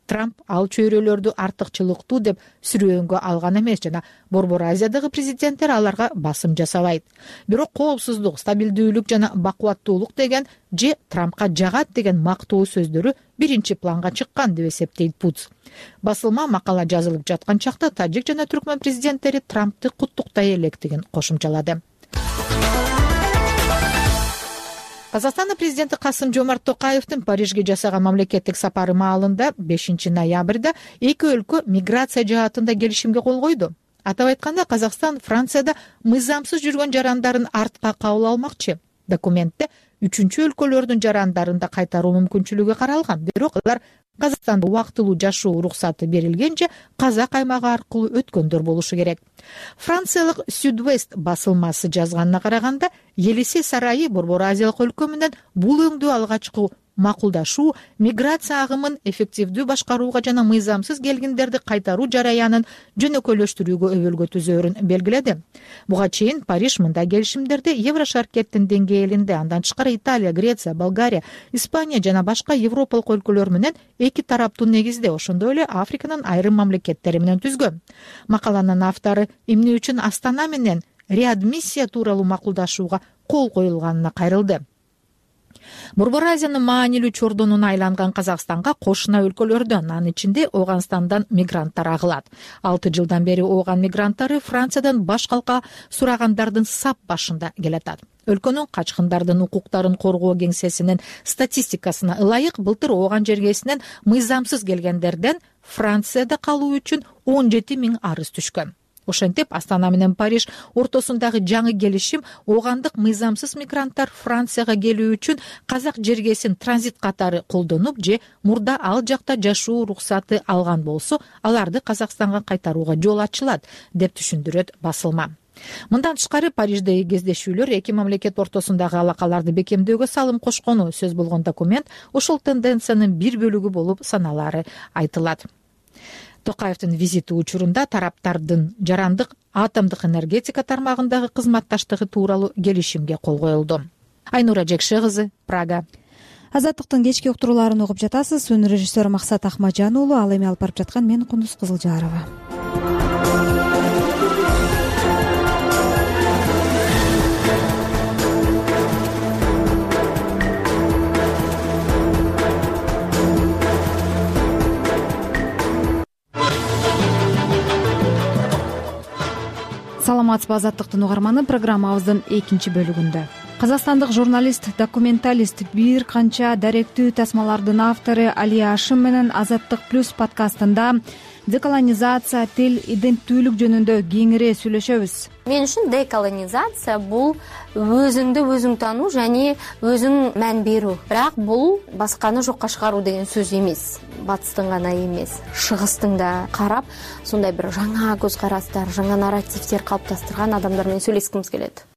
Трамп ал чөйрөлөрдү артыкчылыктуу деп сүрөөнгө алган эмес жана Борбор Азиядагы президенттер аларга басым жасабайт. Бирок коопсуздук, стабилдүүлүк жана бакубаттуулук деген же Трампка жагат деген мактоо сөздөрү биринчи планга чыккан деп эсептейт Путс. Басылма макала жазылып жаткан чакта тажик жана түркмөн президенттери Трампты куттуктай электигин кошумчалады. Казакстандын президенти Касым-Жомарт Токаевдин Парижге жасаган мамлекеттик сапары маалында 5 ноябрда эки өлкө миграция жаатында келишимге кол койду. Атап айтканда, Казакстан Францияда мыйзамсыз жүргөн жарандарын артка кабыл алмакчы. Документте 3 өлкөлөрдүн жарандарын да кайтаруу мүмкүнчүлүгү каралган. Бирок алар Казакстанда убактылуу жашоо уруксаты берилгенче казак аймагы аркылуу өткөндөр болушу керек. Франциялык Südwest басылмасы жазганына караганда, Елисей сарайы Борбор Азиялык өлкө менен бул өңдүү алгачкы макулдашуу миграция агымын эффективдүү башкарууга жана мыйзамсыз келгиндерди кайтаруу жараянын жөнөкөйлөштүрүүгө өбөлгө түзөөрүн белгиледи. Буга чейин Париж мындай келишимдерди Еврошаркеттин деңгээлинде, андан тышкары Италия, Греция, Болгария, Испания жана башка европалык өлкөлөр менен эки тараптуу негизде, ошондой эле Африканын айрым мамлекеттери менен түзгөн. Макаланын автору эмне үчүн Астана менен реадмиссия тууралуу макулдашууга кол коюлганына кайрылды. Борбор Азиянын маанилүү чордонуна айланган Казакстанга кошуна өлкөлөрдөн, анын ичинде Ооганстандан мигранттар агылат. 6 жылдан бери Ооган мигранттары Франциядан баш калка сурагандардын сап башында келатат. Өлкөнүн качкындардын укуктарын коргоо кеңсесинин статистикасына ылайык былтыр Ооган жергесинен мыйзамсыз келгендерден Францияда калуу үчүн 17 000 арыз түшкөн. Ошентип Астана менен Париж ортосундагы жаңы келишим оогандык мыйзамсыз мигранттар Францияга келүү үчүн казак жергесин транзит катары колдонуп же мурда ал жакта жашоо уруксаты алган болсо аларды Казакстанга кайтарууга жол ачылат деп түшүндүрөт басылма. Мындан тышкары Париждеги кездешүүлөр эки мамлекет ортосундагы алакаларды бекемдөөгө салым кошкону сөз болгон документ ушул тенденциянын бир бөлүгү болуп саналары айтылат. Токаевдин визити учурунда тараптардын жарандык атомдук энергетика тармагындагы кызматташтыгы тууралуу келишимге кол коюлду. Айнура Жекше кызы, Прага. Азаттыктын кечки уктурууларын угуп жатасыз. Өнөр режиссер Максат Ахмаджан уулу, ал эми алып барып жаткан мен Кундуз Кызылжарова. Саламатсызбы, Азаттыктын угарманы. Программабыздын экинчи бөлүгүндө казакстандык журналист, документалист, бир канча даректүү тасмалардын автору Алия Ашим менен Азаттык плюс подкастында деколонизация, тил, иденттүүлүк жөнүндө кеңири сүйлөшөбүз. Мен үчүн деколонизация бул өзүңдү өзүң таануу жана өзүң мән берүү. Бирок бул башканы жокко чыгаруу деген сөз эмес. Батыстын гана эмес, чыгыстын да карап, сондай бир жаңа көз карастар, жаңа нарративдер калыпташтырган адамдар менен сүйлөшкүмүз келет.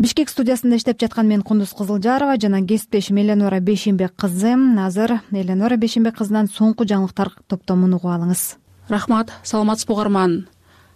Бишкек студиясында иштеп жаткан мен Кундуз Кызылжарова жана кесиптешим Эленора Бейшембек кызы. Азыр Эленора Бейшембек кызынан соңку жаңылыктар топтомун угуп алыңыз. Рахмат, саламатсызбы угарман.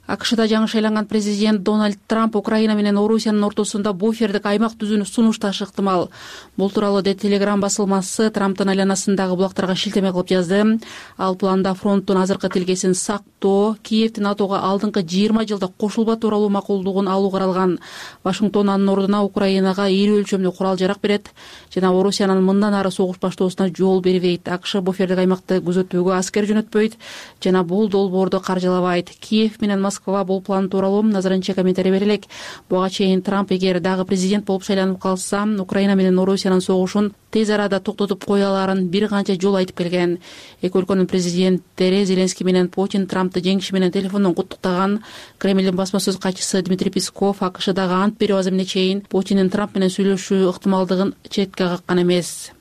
АКШда жаңы шайланган президент Дональд Трамп Украина менен Орусиянын ортосунда буфердик аймак түзүүнү сунушташы ыктымал. Бул тууралуу Телеграм басылмасы Трамптын айланасындагы булактарга шилтеме кылып жазды. Ал планда фронттун азыркы тилкесин сактоо, Киевдин НАТОго алдыңкы 20 жылда кошулба тууралуу макулдугун алуу каралган. Вашингтон анын ордуна Украинага ири өлчөмдүү курал-жарак берет жана Орусиянын мындан ары согуш баштоосуна жол бербейт. АКШ буфердик аймакты күзөтүүгө аскер жөнөтпөйт жана бул долбоорду каржылабайт. Киев менен Москва бул план тууралуу азырынча комментарий бере элек. Буга чейин Трамп эгер дагы президент болуп шайланып калса, Украина менен Орусиянын согушун тез арада токтотуп кое аларын бир канча жолу айтып келген. Эки өлкөнүн президенттери Зеленский менен Путин Трампты жеңиши менен телефондон куттуктаган. Кремлдин басма сөз катчысы Дмитрий Песков АКШдагы ант берүү азымына чейин Путиндин Трамп менен сүйлөшүү ыктымалдыгын четке каккан эмес.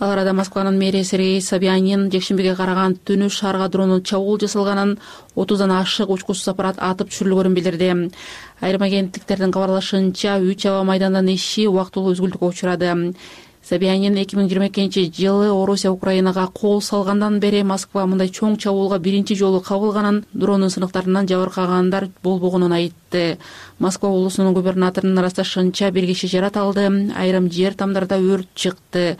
Ал арада Москванын мэри Сергей Собянин жекшембиге караган түнү шаарга дронун чабуул жасалганын, 30дан ашык учкучсуз аппарат атып түшүрүлгөнүн билдирди. Айрым агенттиктердин кабарлашынча 3 аба майдандын иши убактылуу үзгүлтүккө учурады. Собянин 2022-жылы Орусия Украинага кол салгандан бери Москва мындай чоң чабуулга биринчи жолу кабылганын, дрондун сынактарынан жабыркагандар болбогонун айтты. Москва облусунун губернаторунун ырасташынча бир киши жаратылды, айрым жер тамдарда өрт чыкты.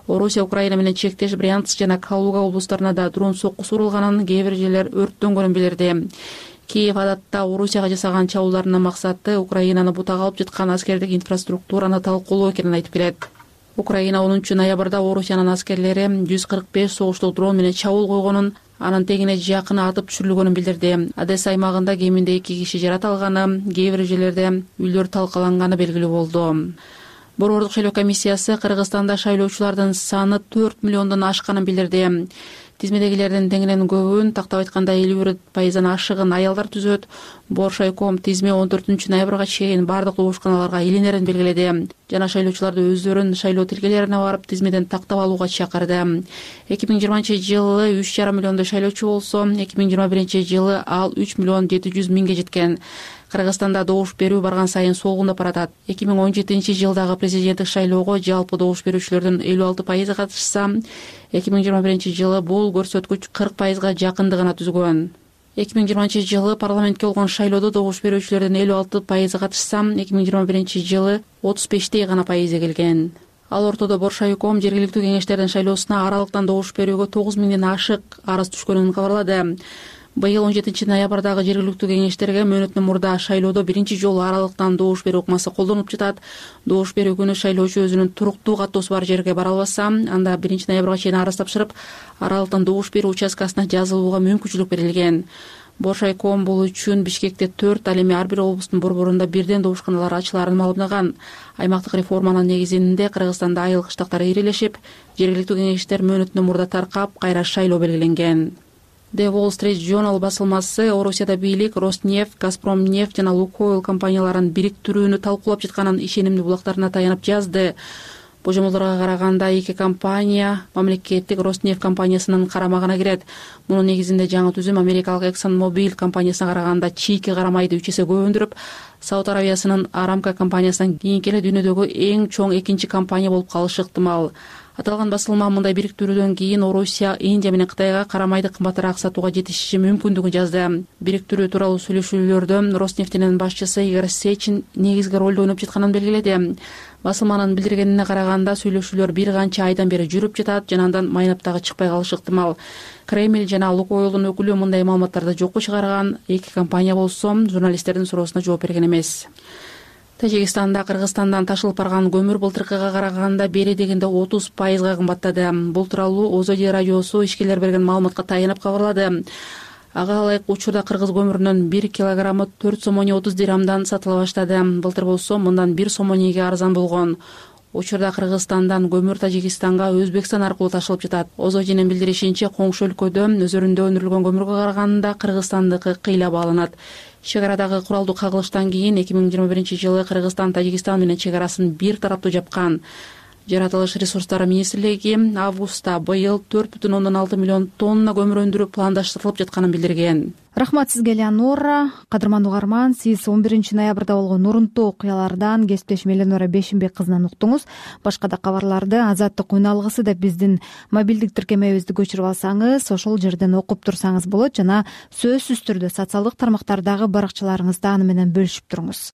Орусия Украина менен чектеш Брянск жана Калуга облустарына да дрон соккусу урулганын, кээ бир жерлер өрттөнгөнүн билдирди. Киев адатта Орусияга жасаган чабуулдарынын максаты Украинаны бутага алып жаткан аскердик инфраструктураны талкуулоо экенин айтып келет. Украина 10 ноябрда Орусиянын аскерлери 145 согуштук дрон менен чабуул койгонун, анын тегине жакын атып түшүрүлгөнүн билдирди. Одесса аймагында кеминде 2 киши жаратылганы, кээ бир жерлерде үйлөр талкаланганы белгилүү болду. Борбордук шайлоо комиссиясы Кыргызстанда шайлоочулардын саны 4 миллиондон ашканын билдирди. Тизмедегилердин теңинен көбүн, тактап айтканда 51% ашыгын аялдар түзөт. Боршайком тизме 14 ноябрга чейин бардык добушканаларга илинерин белгиледи жана шайлоочуларды өздөрүн шайлоо тилкелерине барып тизмеден тактап алууга чакырды. 2020-жылы 3,5 миллиондой шайлоочу болсо, 2021-жылы ал 3 миллион 700 миңге жеткен. Кыргызстанда добуш берүү барган сайын солгундап баратат. 2017-жылдагы президенттик шайлоого жалпы добуш берүүчүлөрдүн 56% катышса, 2021-жылы бул көрсөткүч 40%га жакындыгына түзгөн. 2020-жылы парламентке болгон шайлоодо добуш берүүчүлөрдүн 56% катышса, 2021-жылы 35 гана пайызы келген. Ал ортодо Боршайком жергиликтүү кеңештердин шайлоосуна аралыктан добуш берүүгө 9 миңден ашык арыз түшкөнүн кабарлады. Быйыл 17 ноябрдагы жергиликтүү кеңештерге мөөнөттөн мурда шайлоодо биринчи жолу аралыктан добуш берүү ыкмасы колдонулуп жатат. Добуш берүү күнү шайлоочу өзүнүн туруктуу каттоосу бар жерге бара албаса, анда 1 ноябрга чейин арыз тапшырып, аралыктан добуш берүү участкасына жазылууга мүмкүнчүлүк берилген. Боршайком бул үчүн Бишкекте 4, ал эми ар бир облустун борборунда бирден добушканалар ачыларын маалымдаган. Аймактык реформанын негизинде Кыргызстанда айыл кыштактар ирелешип, жергиликтүү кеңештер мөөнөтүнөн мурда таркап, кайра шайлоо белгиленген. The Wall Street Journal басылмасы Орусияда бийлик Роснефть, Газпромнефть жана Лукойл компанияларын бириктирүүнү талкуулап жатканын ишенимдүү булактарына таянып жазды. Божомолдорго караганда эки компания мамлекеттик Роснефть компаниясынын карамагына кирет. Мунун негизинде жаңы түзүм Америкалык ExxonMobil компаниясына караганда чийки карамайды 3 эсе көп өндүрүп, Сауд Аравиясынын Aramco компаниясынан кийинки эле дүйнөдөгү эң чоң экинчи компания болуп калышы ыктымал. Аталган басылма мындай бириктирүүдөн кийин Орусия Индия менен Кытайга карамайды кымбатыраак сатууга жетишиши мүмкүндүгүн жазды. Бириктирүү тууралуу сүйлөшүүлөрдө Роснефтьтин башчысы Игорь Сечин негизги ролду ойноп жатканын белгиледи. Басылманын билдиргенине караганда сүйлөшүүлөр бир канча айдан бери жүрүп жатат жана андан майнап дагы чыкпай калышы ыктымал. Кремль жана Лукойлдун өкүлү мындай маалыматтарды жокко чыгарган, эки компания болсо журналисттердин суроосуна жооп берген эмес. Тажикстанда Кыргызстандан ташылып барган көмүр былтыркыга караганда бери дегенде 30% кымбаттады. Бул тууралуу Озоди радиосу ишкерлер берген маалыматка таянып кабарлады. Ага ылайык учурда кыргыз көмүрүнүн 1 килограммы 4 сомони 30 дирhamдан сатыла баштады. Былтыр болсо мындан 1 сомониге арзан болгон. Учурда Кыргызстандан көмүр Тажикстанга Өзбекстан аркылуу ташылып жатат. Озодинин билдиришинче, коңшу өлкөдө өзөрүндө өндүрүлгөн көмүргө караганда Кыргызстандыкы кыйла бааланат. Чек арадагы куралдуу кагылыштан кийин 2021-жылы Кыргызстан Тажикстан менен чек арасын бир тараптуу жапкан. Жаратылыш ресурстары министрлиги августта быйыл 4,6 миллион тонна көмүр өндүрүп пландаштырылып жатканын билдирген. Рахмат сизге, Элеонора. Кадырман угарман, сиз 11 ноябрда болгон нурунтуу окуялардан кесиптешим Элеонора Бешимбек кызынан уктуңуз. Башка да кабарларды Азаттык уйналгысы деп биздин мобилдик тиркемебизди көчүрүп алсаңыз, ошол жерден окуп турсаңыз болот жана сөзсүз түрдө социалдык тармактардагы баракчаларыңызда аны менен бөлүшүп туруңуз.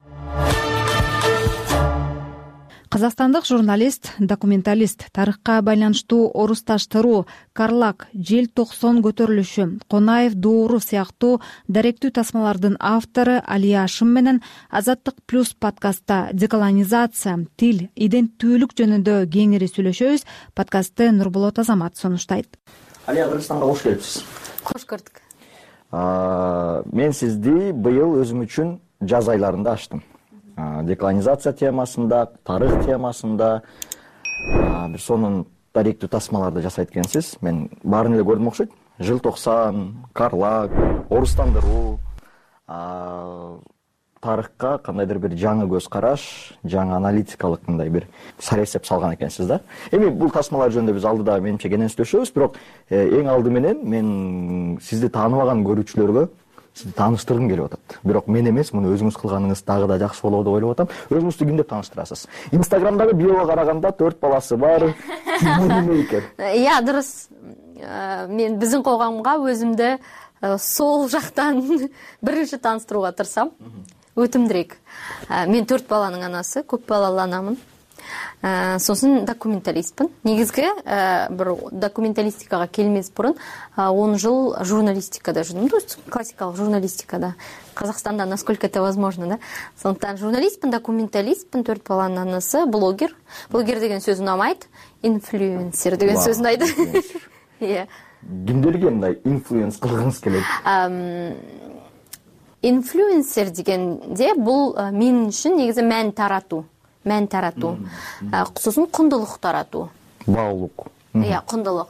Казакстандык журналист, документалист, тарыхка байланыштуу орусташтыруу, Карлак, Жел 90 көтөрүлүшү, Конаев дууру сыяктуу даректүү тасмалардын автору Алия Ашым менен Азаттык плюс подкастта деколонизация, тил, иденттүүлүк жөнүндө кеңири сүйлөшөбүз. Подкастты Нурболот Азамат сунуштайт. Алия, Кыргызстанга кош келипсиз. Кош көрдүк. Мен сизди быйыл өзүм үчүн жаз айларында ачтым. Деколонизация темасында, тарых темасында, бир сонун даректүү тасмаларды жасайт экенсиз. Мен баарын эле көрдүм окшойт. Жыл 90, Карлак, орустандыруу, тарыхка кандайдыр бир жаңы көз караш, жаңы аналитикалык мындай бир сарэсеп салган экенсиз да. Эми бул тасмалар жөнүндө биз алдыда менимче кенен сүйлөшөбүз, бирок эң алды менен мен сизди тааныбаган көрүүчүлөргө сизди тааныштыргым келип атат. Бирок мен эмес, муну өзүңүз кылганыңыз дагы да жакшы болот деп ойлоп атам. Өзүңүздү ким деп тааныштырасыз? Инстаграмдагы биого караганда 4 баласы бар. Дурус. Мен биздин коомго өзүмдү сол жактан биринчи тааныштырууга тырысам. Өтүмдүрөөк. Мен 4 баланын анасы, көп балалуу анамын. Сосын документалистпин. Негизги бир документалистикага келмес бурун 10 жыл журналистикада жүрдүм. Классикалык журналистикада. Казакстанда насколько это возможно, да? Сондуктан журналистпин, документалистпин, 4 баланын анасы, блогер. Блогер деген сөз унамайт, инфлюенсер деген сөз унайт. Кимдерге мындай инфлюенс кылгыңыз келет? Инфлюенсер дегенде бул мен үчүн негизи мән таратуу, кусусун кундулук таратуу. Баалуулук. Кундулук.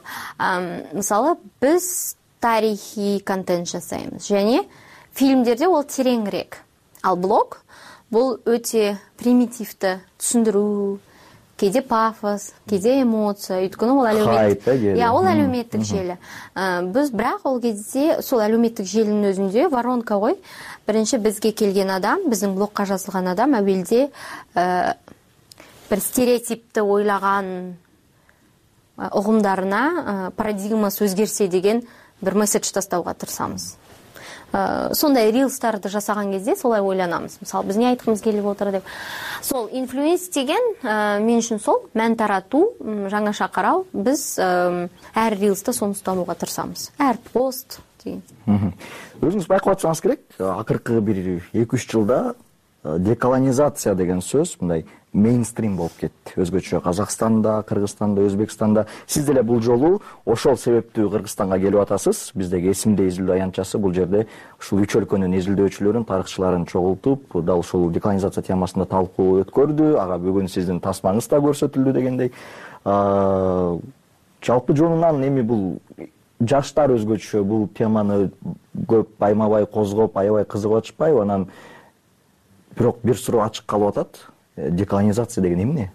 Мисалы, биз тарихий контент жасайбыз және фильмдерде ол тереңирээк. Ал блог бул өтө примитивдүү түшүндүрүү, кээде пафос, кээде эмоция, өйткөнү ол әлеуметтик желі. Биз бирок ол кезде сол әлеуметтик желинин өзүндө воронка ғой. Биринчи бизге келген адам, биздин блогка жазылган адам абелде бир стереотипти ойлаган угумдарына парадигмасы өзгерсе деген бир месседж тастауга тырысабыз. Сондай рилстарды жасаган кезде солай ойланабыз. Мисалы, биз эмне айткыбыз келип отур деп. Сол инфлюенс деген мен үчүн сол мән таратуу, жаңаша кароо. Биз әр рилста сону устанууга тырысабыз. Әр пост деген. Өзүңүз байкап атсаңыз керек, акыркы бир 2-3 жылда деколонизация деген сөз мындай мейнстрим болуп кетти. Өзгөчө Казакстанда, Кыргызстанда, Өзбекстанда. Сиз деле бул жолу ошол себептүү Кыргызстанга келип атасыз. Биздеги эсимде изилдөө аянтчасы бул жерде ушул 3 өлкөнүн изилдөөчүлөрүн, тарыхчыларын чогултуп, дал ушул деколонизация темасында талкуу өткөрдү. Ага бүгүн сиздин тасмаңыз да көрсөтүлдү дегендей. Жалпы жонунан эми бул жаштар өзгөчө бул теманы көп баймабай козгоп, аябай кызыгып атышпайбы? Анан бирок бир суроо ачык калып атат. Деколонизация деген эмне?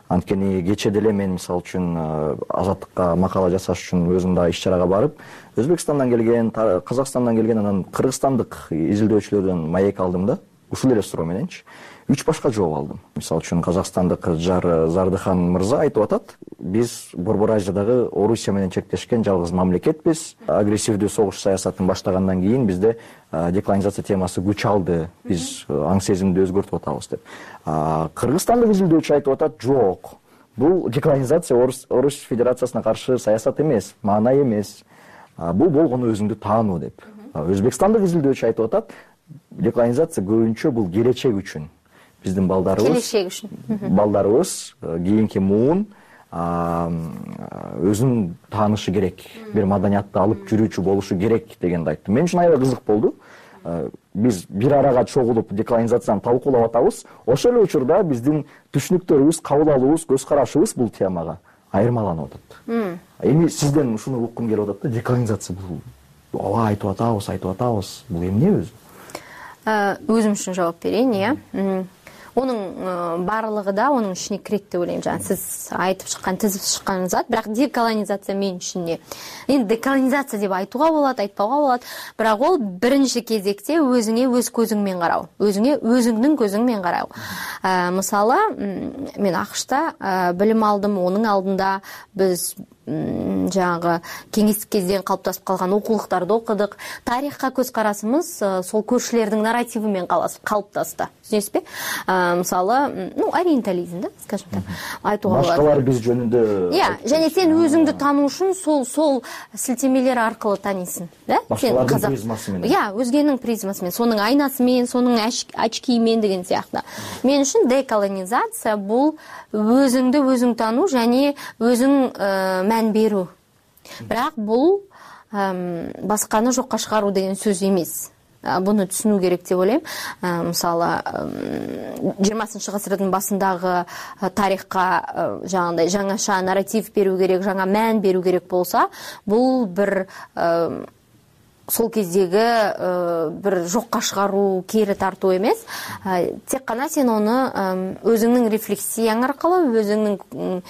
Анткени кечээ деле мен мисалы үчүн Азаттыкка макала жасаш үчүн өзүм да иш-чарага барып, Өзбекстандан келген, Казакстандан келген, анан кыргызстандык изилдөөчүлөрдөн маек алдым да. Ушул эле суроо мененчи 3 башка жооп алдым. Мисалы үчүн казакстандык Зардыхан мырза айтып атат, биз Борбор Азиядагы Орусия менен чектешкен жалгыз мамлекетпиз. Агрессивдүү согуш саясатын баштагандан кийин бизде деколонизация темасы күч алды. Биз аң сезимди өзгөртүп атабыз деп. Кыргызстандык изилдөөчү айтып атат, жок. Бул деколонизация Орус Федерациясына каршы саясат эмес, маана эмес. Бул болгону өзүңдү таануу деп. Өзбекстандык изилдөөчү айтып атат, деколонизация көбүнчө бул келечек үчүн. Биздин балдарыбыз кийинки муун өзүн таанышы керек, бир маданиятты алып жүрүүчү болушу керек дегенди айтты. Мен үчүн аябай кызык болду. Биз бир арага чогулуп деколонизацияны талкуулап атабыз. Ошол эле учурда биздин түшүнүктөрүбүз, кабыл алуубуз, көз карашыбыз бул темага айырмаланып атат. Эми сизден ушуну уккум келип атат да, деколонизация бул ооба айтып атабыз. Бул эмне өзү? Өзүм үчүн жооп берейин, Онун баардыгы да онун ичине кирет деп ойлойм. Жана сиз айтып чыккан, тизип чыккан зат, бирок деколонизация мен үчүн эмне? Эми деколонизация деп айтууга болот, айтпауга болот, бирок ол биринчи кезекте өзүңө өз көзүң карау, өзүңө өзүңдүн көзүң менен карау. Мисалы, мен АКШта билим алдым, онун алдында биз жаңагы кеңестик кезден калыптасып калган окулуктарды окудук. Тарихка көз карасыбыз сол көршүлөрдүн нарративи менен калыптасты. Түшүнөсүзбү? Мисалы, ориентализм да, скажем так, айтууга болот. Башкалар биз жөнүндө. Жана сен өзүңдү таануу үчүн сол силтемелер аркылуу таанийсың, да? Башкалардын призмасы менен. Өзгөнүн призмасы менен, сонун айнасы менен, сонун очки менен деген сыяктуу. Мен үчүн деколонизация бул өзүңдү өзүң таануу жана өзүң мән берүү. Бирок бул башканы жокко чыгаруу деген сөз эмес. Буну түшүнүү керек деп ойлойм. Мисалы, 20 гасырдын башындагы тарихка жаңандай жаңаша нарратив берүү керек, жаңа мән берүү керек болсо, бул бир сол кездеги бир жокко чыгаруу, кери тартуу эмес. Тек гана сен аны өзүңдүн рефлексияң аркылуу, өзүңдүн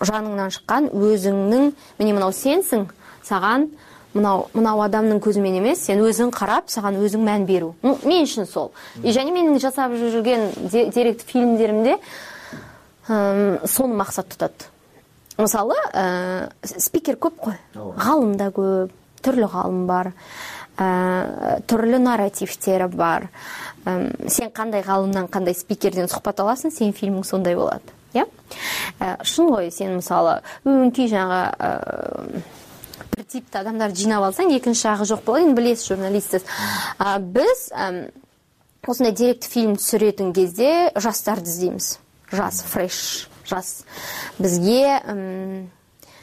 жаныңдан чыккан, өзүңдүн мени мынау сенсиң, саган мынау адамдын көзү менен эмес, сен өзүң карап, саган өзүң мән берүү. Мен үчүн сол. Жана менин жасап жүргөн деректик фильмдеримде сону максат тутат. Мисалы, спикер көп кой, гаалым да көп, түрлүү гаалым бар, түрлүү нарративтер бар. Сен кандай гаалымдан, кандай спикерден сухбат аласың, сенин фильмиң сондай болот. Шын ғой, сен мисалы өңкүй жаңа бир типти адамдар жыйнап алсаң, экинчи жагы жок болот. Эми билесиз, журналистсиз. Биз осундай деректик фильм түсүрөтүн кезде жаштарды издейбиз. Жас, фреш, жас. Бизге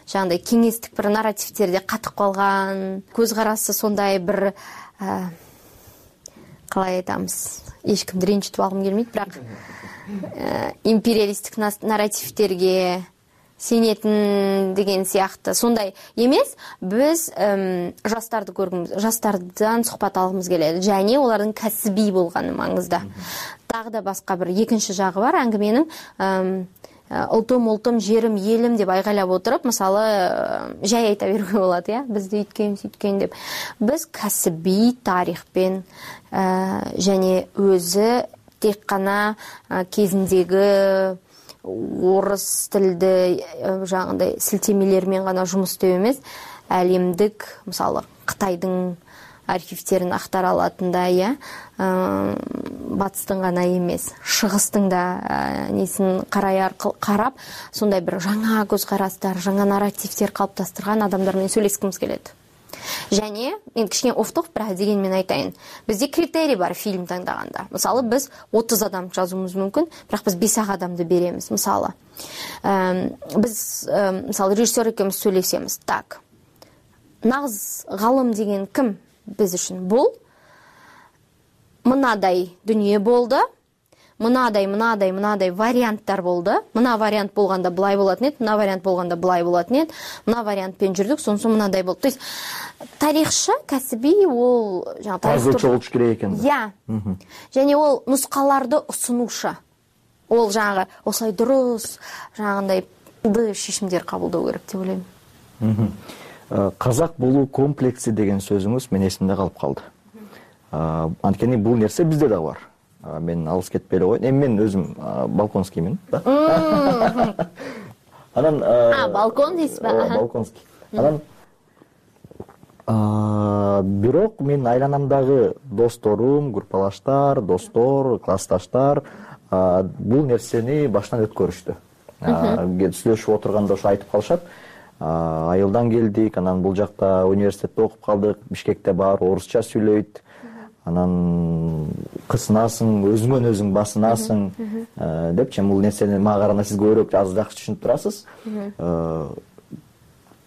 жаңандай кеңестик бир нарративтерде катып калган, көз карасы сондай бир калай айтамыз, эчкимди ренжитип алгым келмейт, бирок империалисттик нарративтерге сенетін деген сияқты сондай емес. Біз жастарды көргіміз, жастардан сұхбат алғымыз келеді, және олардың кәсіби болғаны маңызды. Тағы да басқа бір екінші жағы бар әңгіменің. Ұлтым, жерім, елім деп айғайлап отырып, мысалы, жай айта беруге болады, я? Бізді үйткен деп. Біз кәсіби тарихпен және өзі тек қана кезіндегі орыс тілді жаңағындай сілтемелермен ғана жұмыс істеу емес, әлемдік, мысалы, Қытайдың архивтерін ақтара алатындай, батыстың ғана емес, шығыстың да несін қарап, сондай бір жаңа көзқарастар, жаңа нарративтер қалыптастырған адамдармен сөйлескіміз келеді. Және, мен кішкене офтоп бірақ дегенмен айтайын, бізде критерий бар фильм таңдағанда. Мысалы, біз 30 адам жазуымыз мүмкін, бірақ біз 5 адамды береміз. Мысалы, біз, мысалы, режиссер екеуміз сөйлесеміз. Так, нағыз ғалым деген кім біз үшін? Бұл мынадай дүние болды, мындай варианттар болду. Мына вариант болгондо былай болот эле, мына вариант болгондо былай болот эле, мына вариантпен жүрдүк, сонун мындай болду. То есть тарихчы кәсиби ол жаңа жазуучу болуш керек экен. Және ол нускаларды сунушу. Ол жаңағы осылай дұрыс, жаңағындай шешимдер кабылдоо керек деп ойлойм. Казак болуу комплекси деген сөзүңүз мен эсимде калып калды. Анткени бул нерсе бизде да бар. Мен алыс кетпей эле коеюн. Эми мен өзүм балконскиймин да. Анан балкон дейсизби? Балконский. Анан бирок мен айланамдагы досторум, группалаштар, достор, классташтар бул нерсени баштан өткөрүштү. Сүйлөшүп отурганда ошо айтып калышат. Айылдан келдик, анан бул жакта университетте окуп калдык, Бишкекте баары орусча сүйлөйт. Анан кысынасың, өзүңөн өзүң басынасың депчи. Бул нерсени мага караганда сиз көбүрөөк жакшы түшүнүп турасыз.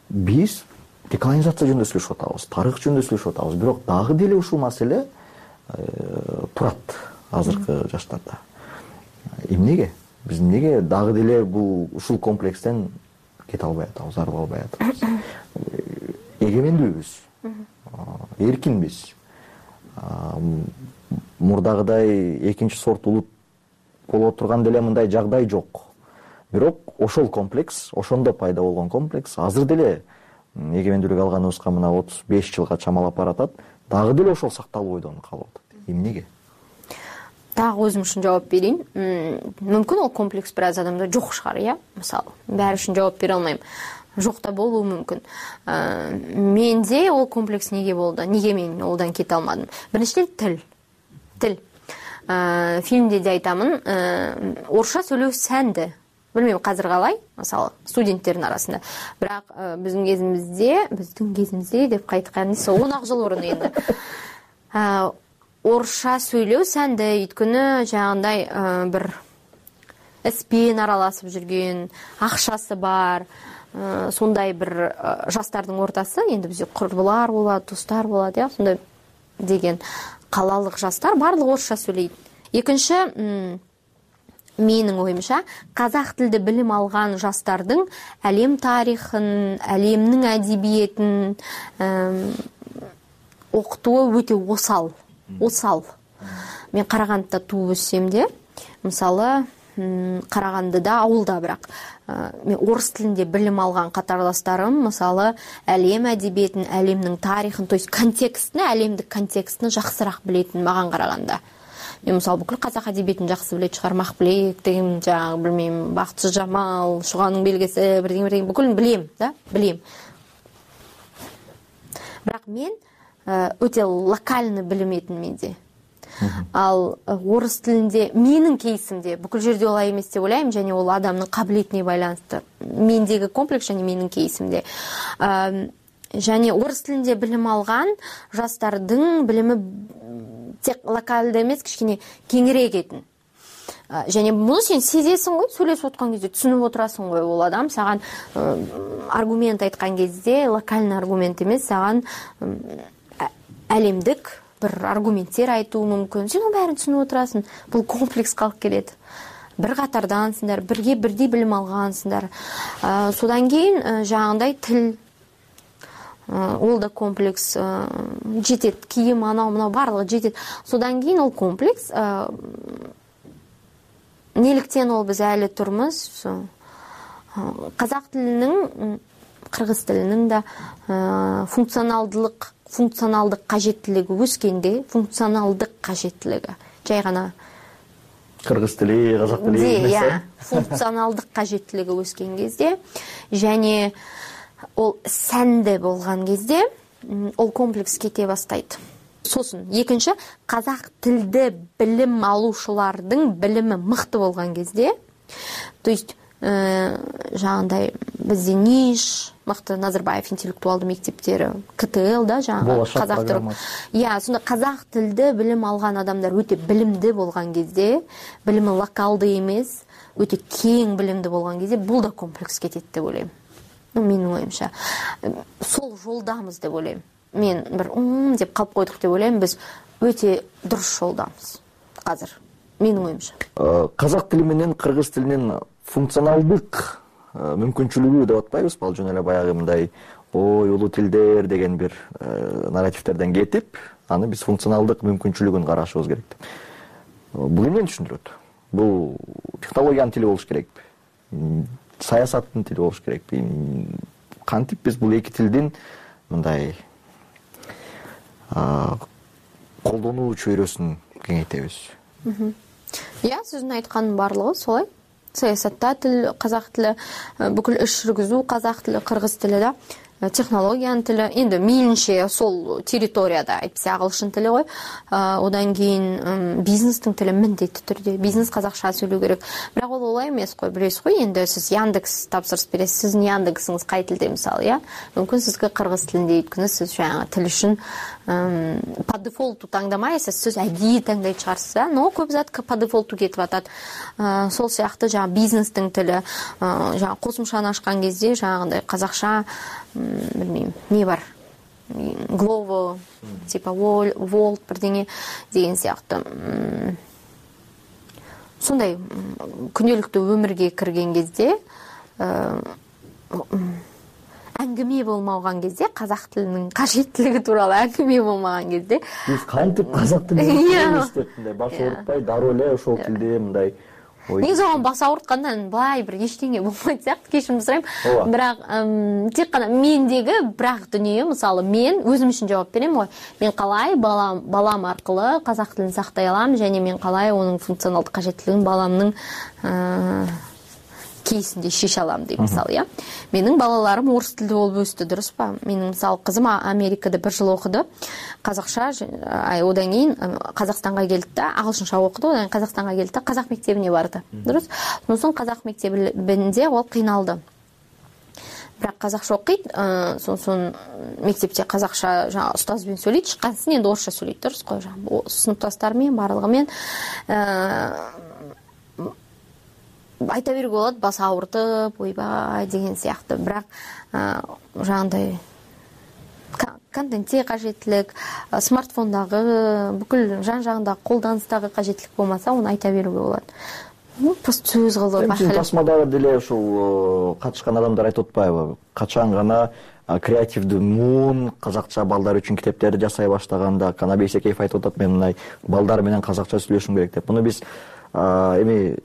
Биз деколонизация жөнүндө сүйлөшүп атабыз, тарых жөнүндө сүйлөшүп атабыз, бирок дагы деле ушул маселе турат азыркы жаштарда. Эмнеге? Биз эмнеге дагы деле бул ушул комплекстен кете албай атабыз, арыла албай атабыз? Эгемендүүбүз, эркинбиз. Мурдагыдай экинчи сорт улут боло турган деле мындай жагдай жок. Бирок ошол комплекс, ошондо пайда болгон комплекс азыр деле эгемендүүлүк алганыбызга мына 35 жылга чамалап баратат. Дагы деле ошол сакталып ойдон калып атат. Эмнеге? Дагы өзүм үчүн жооп берейин. Мүмкүн ол комплекс бир аз адамда жок шыгар, мисалы. Баары үчүн жооп бере алмайм. Жок да болуу мүмкүн. Менде ол комплекс неге болду? Неге мен олдан кете алмадым? Биринчиден тил. Фильмде де айтамын, орусча сүйлөө сәнді. Билмейм казыр калай, мисалы, студенттердин арасында. Бирок биздин кезимизде деп кайткан 10 жыл мурун энди. Орусча сүйлөө сәнді, өйткөнү жагындай бир эспен аралашып жүргөн, акчасы бар, сондай бир жаштардын ортасы, энди бизде курбулар болот, достор болот, сондай деген калалык жаштар барлыгы орусча сүйлөйт. Экинчи, менин оюмча, казак тилде билим алган жаштардын әлем тарихын, әлемнин адебиетин окутуу өтө осал. Мен Карагандыда тууп өссөм де, мисалы, Карагандыда ауылда, бирок мен орус тилинде билим алган катарлаштарым, мисалы, әлем адебиетин, әлемнин тарихын, то есть контекстин, әлемдик контекстин жакшыраак билетин маган караганда. Мен мисалы бүкүл казак адебиетин жакшы билет чыгар, Махплек деген, жаңы билмейм, Бакытчы Жамал, Шуганын белгеси, бирдеме бүкүлүн билем, билем. Бирок мен өтө локальный билиметин менде. Ал орус тилинде менин кейсимде бүкүл жерде олай эмес деп ойлойм, және ол адамдын кабилетине байланыштуу. Мендеги комплекс және менин кейсимде. Және орус тилинде билим алган жаштардын билими тек локалды эмес, кичине кеңирээк этин. Және муну сен сезесиң го, сүйлөшүп аткан кезде түшүнүп отурасың го, ол адам саган аргумент айткан кезде локальный аргумент эмес, саган әлемдик бір аргументтер айтуу мүмкүн. Сен ол бәрін түсініп отырасың. Бұл комплекс қалып келеді. Бір қатардансыңдар, бірге бірдей білім алғансыңдар. Содан кейін жаңағындай тіл, ол да комплекс жетеді. Киім, анау барлығы жетеді. Содан кейін ол комплекс неліктен ол біз әлі тұрмыз. Қазақ тілінің, қырғыз тілінің да функционалдық қажеттілігі өскенде, функционалдық қажеттілігі жай ғана кыргыз тили, казак тили емес, функционалдық қажеттілігі өскен кезде, және ол сәнді болған кезде ол комплекс кете бастайды. Сосын екінші, қазақ тілді білім алушылардың білімі мықты болған кезде, то есть жаңағындай бізде НИШ, мықты Назарбаев интеллектуалды мектептері, КТЛ да жаңағы қазақ тілі. Сонда қазақ тілді білім алған адамдар өте білімді болған кезде, білімі локалды емес, өте кең білімді болған кезде, бұл да комплекс кетеді деп ойлаймын. Менің ойымша. Сол жолдамыз деп ойлаймын. Мен бір деп қалып қойдық деп ойлаймын, біз өте дұрыс жолдамыз қазір. менин оюмча. Казак тили менен кыргыз тилинин функционалдык мүмкүнчүлүгү деп атпайбызбы? Ал жөн эле баягы мындай ой улуу тилдер деген бир нарративтерден кетип, аны биз функционалдык мүмкүнчүлүгүн карашыбыз керек деп. Бул эмнени түшүндүрөт? Бул технологиянын тили болуш керекпи? Саясаттын тили болуш керекпи? Кантип биз бул эки тилдин мындай колдонуу чөйрөсүн кеңейтебиз? Сиздин айткандын баардыгы солай. Саясатта тил, казак тили, бүкүл иш жүргүзүү казак тили, кыргыз тили да, технологиянын тили, эми мейлинче сол территорияда айтпаса агылышын тили го. Одан кийин бизнестин тили міндетті түрдө. Бизнес казакча сүйлөө керек. Бирок ол олай эмес го, билесиз го. Энди сиз Яндекс тапсырыс бересиз, сиздин Яндексиңиз кай тилде мисалы, мүмкүн сизге кыргыз тилинде өйткөнү сиз жаңы тил үчүн по дефолту таңдамайсыз, сиз әдейі таңдай чыгарсыз, но көп зат по дефолту кетип атат. Сол сыяктуу жаңы бизнестин тили, жаңы косумчаны ачкан кезде жаңагындай казакча билмейм, не бар? Glovo, типа Volt бирдеңе деген сыяктуу. Сондай күнөлүктүү өмүргө кирген кезде әңгіме болмаған кезде, қазақ тілінің қажеттілігі туралы әңгіме болмаған кезде биз кантип казак тилин үйрөнүп баш оорутпай дароо эле ошол тилде мындай негизи оған бас ауырткандан былай бир эчтеңе болмойт сыяктуу, кечирим сурайм. Бирок тек гана мендеги бирак дүнүйө, мисалы мен өзүм үчүн жооп берем го. Мен калай балам аркылуу казак тилин сактай алам жана мен калай онун функционалдык кажеттилигин баламдын кейсинде шеше алам дейм, мисалы, Менин балаларым орыс тилде болуп өстү, дурусбу? Менин мисалы кызым Америкада 1 жыл окуду. Казакча, одан кийин Казакстанга келди да, агылшынча окуду, одан кийин Казакстанга келди да, казак мектебине барды. Дурус? Сонун казак мектебинде ол кыйналды. Бирок казакча окуйт, сонун мектепте казакча жаңа устаз менен сөйлөйт, чыккансын энди орусча сөйлөйт, дурусго? Жаңа сыныпташтары менен барлыгы менен айта берүүгө болот, бас ауыртып, ойбай деген сыяктуу. Бирок жаңандай контентте кажеттилик, смартфондагы, бүкүл жан-жагындагы колданыстагы кажеттилик болмаса, аны айта берүүгө болот. Просто сөз кылып тасмадагы деле ушул катышкан адамдар айтып атпайбы? Качан гана креативдүү муун казакча балдар үчүн китептерди жасай баштаганда, Канат Бейсекеев айтып атат, мен мындай балдар менен казакча сүйлөшүм керек деп. Муну биз эми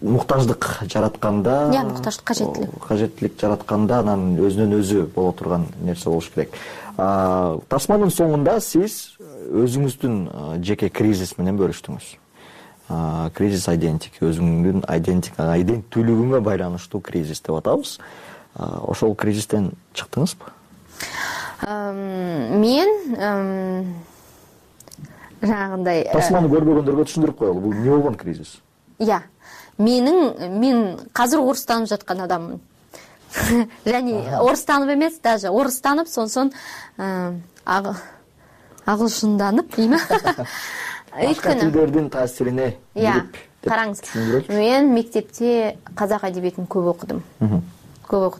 муктаждык жаратканда, муктаждык кажеттилик жаратканда анан өзүнөн өзү боло турган нерсе болуш керек. Тасманын соңунда сиз өзүңүздүн жеке кризис менен бөлүштүңүз. Кризис identity, өзүңдүн иденттүүлүгүңө байланыштуу кризис деп атабыз. Ошол кризистен чыктыңызбы? Мен жанагындай Тасманы көрбөгөндөргө түшүндүрүп коелу, бул эмне болгон кризис? Мен казыр орыстанып жаткан адаммын. Және орыстанып эмес, даже орыстанып, сонсон агылшынданып, дейм. Башка тилдердин таасирине кирип. Караңыз, мен мектепте казак адебиетин көп окудум.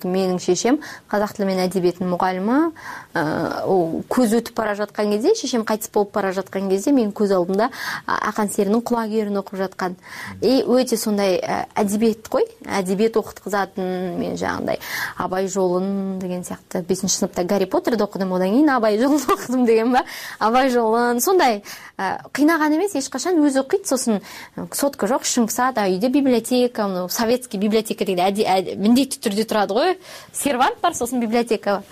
Менин шешем казак тили менен адебиеттин мугалими. Көз өтүп бара жаткан кезде, шешем кайтыс болуп бара жаткан кезде, мен көз алдымда Ақан серинин Кулагерин окуп жаткан. Өтө сондай адебиет кой, адебиет окуткузатын. Мен жаңандай Абай жолун деген сыяктуу 5-сыныпта Гарри Поттерди окудум, одан кийин Абай жолун окудум деген ба? Абай жолун сондай кыйнаган эмес, эч качан өзү окуйт, сосын сотка жок, шыңкса да, үйдө библиотека, советский библиотека деген міндетті түрдө турады ғой, сервант бар, сосын библиотека бар.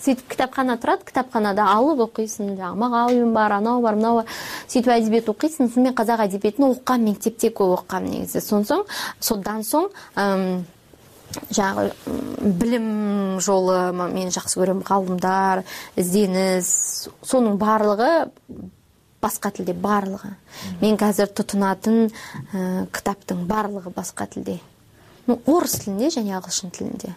Сөйтіп китапкана турат, китапканада алып окуйсың, жаңа Мағауин бар, анау бар, мынау бар. Сөйтіп әдебиет окуйсың, мен казак әдебиетін окугам, мектепте көп окугам негизи. Содан соң жаңа билим жолу мен жакшы көрөм, калымдар, изденіс, сонун барлыгы басқа тілде, барлығы. Мен қазір тұтынатын кітаптың барлығы басқа тілде. Орыс тілінде және ағылшын тілінде.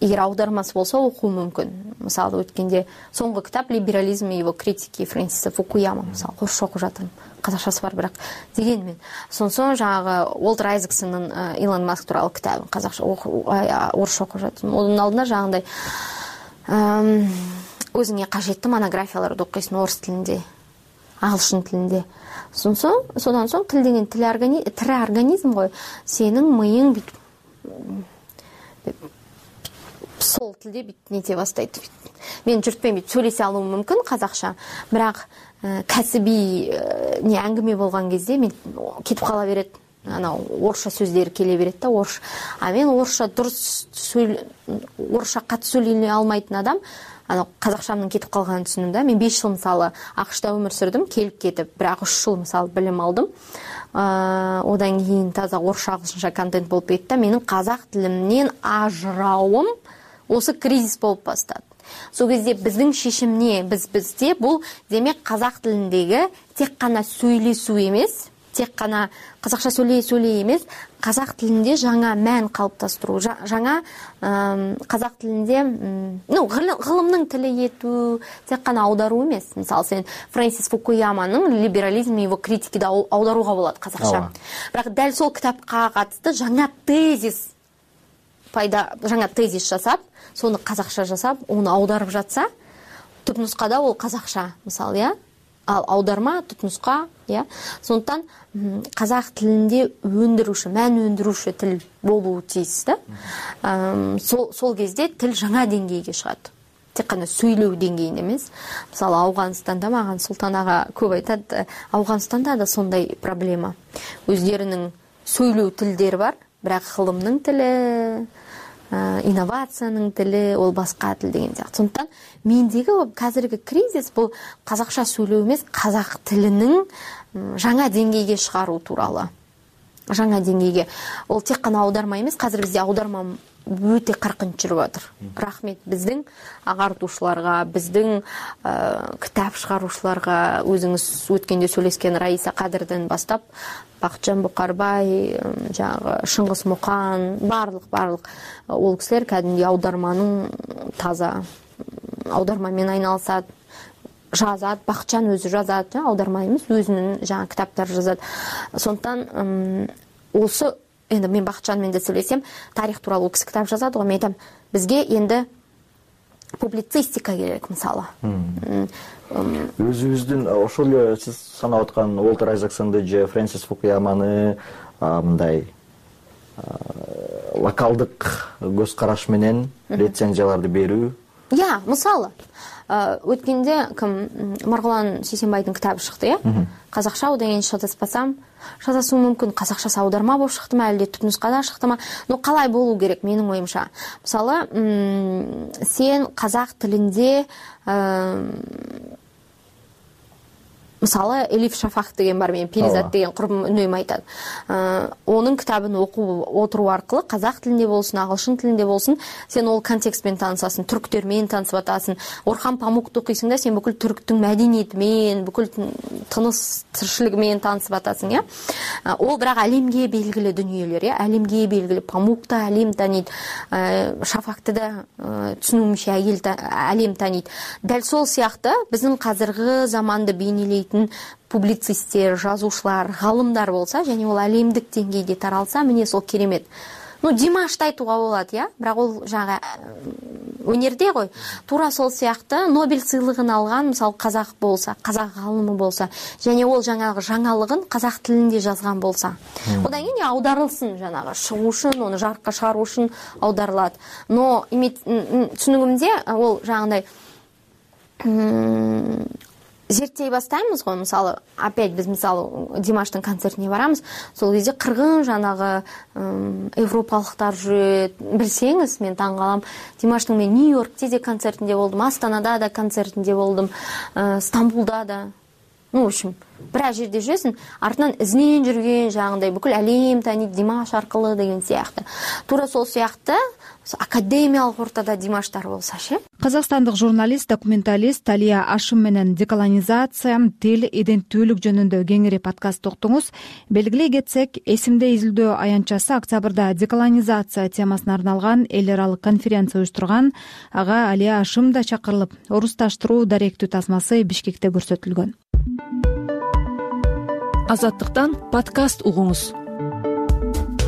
Егер аудармасы болса, оқу мүмкін. Мысалы, өткенде соңғы кітап «Либерализм и его критики» Фрэнсиса Фукуяма. Мысалы, орысша оқып жатырмын. Қазақшасы бар, бірақ дегенмен. Соң жаңағы Уолтер Айзексонның Илон Маск туралы кітабын қазақша орысша оқып жатырмын. Оның алдында жаңағындай өзіңе қажетті монографияларды оқисың орыс тілінде. агылшын тилинде. Содан соң тил деген тирі организм ғой. Сенің миың сол тилде бүйтіп нете бастайды. Мен жұртпен бүйтіп сөйлесе алуым мүмкін қазақша, бірақ кәсіби не әңгіме болған кезде мен кетіп қала береді. Анау орысша сөздері келе береді да, орысша. А мен орысша қатты сөйлей алмайтын адам, қазақшамның кетіп қалғанын түсіндім да. Мен 5 жыл мысалы ақш-та өмір сүрдім, келіп кетіп, бірақ 3 жыл мысалы білім алдым. Одан кейін таза орысша ағылшынша контент болып кетті. Менің қазақ тілімнен ажырауым осы кризис болып бастады. Сол кезде біздің шешім не? Бізде бұл демек қазақ тіліндегі тек қана сөйлесу емес, тек қана қазақша сөйлей емес, қазақ тілінде жаңа мән қалыптастыру, жаңа қазақ тілінде ғылымның тілі ету, тек қана аудару емес. Мысалы, сен Фрэнсис Фукуяманың «Либерализм и его критикиді» аударуға болады қазақша. Бірақ дәл сол кітапқа қатысты жаңа тезис жасап, соны қазақша жасап, оны аударып жатса, түпнұсқада ол қазақша, мысалы, иә? Ал аударма, түпнұсқа, иә? Сондықтан қазақ тілінде мән өндіруші тіл болуы тиіс, да? Сол кезде тіл жаңа деңгейге шығады. Тек қана сөйлеу деңгейінде емес. Мысалы, Ауғанстанда маған Сұлтан аға көп айтады, Ауғанстанда да сондай проблема. Өздерінің сөйлеу тілдері бар, бірақ ғылымның тілі, инновацияның тілі, ол басқа тіл деген сияқты. Сондықтан мендегі қазіргі кризис бұл қазақша сөйлеу емес, қазақ тілінің жаңа деңгейге шығару туралы. Жаңа деңгейге. Ол тек қана аударма емес, қазір бізде аударма өте қарқын жүріп жатыр. Рахмет біздің ағартушыларға, біздің кітап шығарушыларға, өзіңіз өткенде сөйлескен Раиса Қадырдан бастап, Бақытжан Бұқарбай, Шыңғыс Мұқан, барлық ол кісілер кәдімгі аударманың таза аудармамен айналысады, жазады. Бақытжан өзі жазады, аударма емес, өзінің кітаптар жазады. Сондықтан осы, енді мен Бақытжанмен де сөйлесем, тарих туралы ол кісі кітап жазады ғой, мен айтамын, бізге енді публицистика керек, мысалы. Өзүбүздүн ошол эле сиз санап аткан Уолтер Айзексонду же Фрэнсис Фукуяманы мындай локалдык көз караш менен рецензияларды берүү. Мысалы, өткенде Марғұлан Сейсенбайдың кітабы шықты, қазақша, одан кейін шатаспасам, шатасуым мүмкін, қазақшасы аударма болып шықты ма, әлде түпнұсқада шықты ма, но қалай болу керек менің ойымша. Мысалы, сен қазақ тілінде мысалы, Элиф Шафақ деген бар, мен Перизат деген құрбым үнемі айтады. Оның кітабын оқу отыру арқылы қазақ тілінде болсын, ағылшын тілінде болсын, сен ол контекстпен танысасың, түріктермен танысып атасың. Орхан Памукты оқисың да, сен бүкіл түріктің мәдениетімен, бүкіл тыныс тіршілігімен танысып атасың, иә? Ол бірақ әлемге белгілі дүниелер, иә? Әлемге белгілі. Памукты әлем таниды, Шафақты да түсінуімше әлем таниды. Дәл сол сияқты біздің қазіргі заманды бейнелейтін публицистер, жазушылар, ғалымдар болса, және ол әлемдік деңгейде таралса, міне сол керемет. Димашты айтуға болады, иә? Бірақ ол өнерде ғой. Тура сол сияқты Нобель сыйлығын алған, мысалы, қазақ болса, қазақ ғалымы болса, және ол жаңалығын қазақ тілінде жазған болса. Одан кейін аударылсын, шығу үшін, оны жарыққа шығару үшін аударылады. Но түсінігімде ол жаңағындай зерттей бастаймыз ғой, мысалы, опять біз, мысалы, Димаштың концертіне барамыз, сол кезде қырғын европалықтар жүреді, білсеңіз, мен таңғалам. Димаштың мен Нью-Йоркте де концертінде болдым, Астанада да концертінде болдым, Стамбулда да. В общем, біраз жерде жүресің, артынан ізінен жүрген жаңағындай бүкіл әлем таниды Димаш арқылы деген сияқты. Тура сол сияқты академиялық ортада Димаштар болса ше. Казакстандык журналист, документалист Талия Ашым менен деколонизация, тил, иденттүүлүк жөнүндө кеңири подкаст уктуңуз. Белгилей кетсек, эсимде изилдөө аянтчасы октябрда деколонизация темасына арналган эл аралык конференция уюштурган. Ага Алия Ашым да чакырылып, орусташтыруу даректүү тасмасы Бишкекте көрсөтүлгөн. Азаттыктан подкаст угуңуз.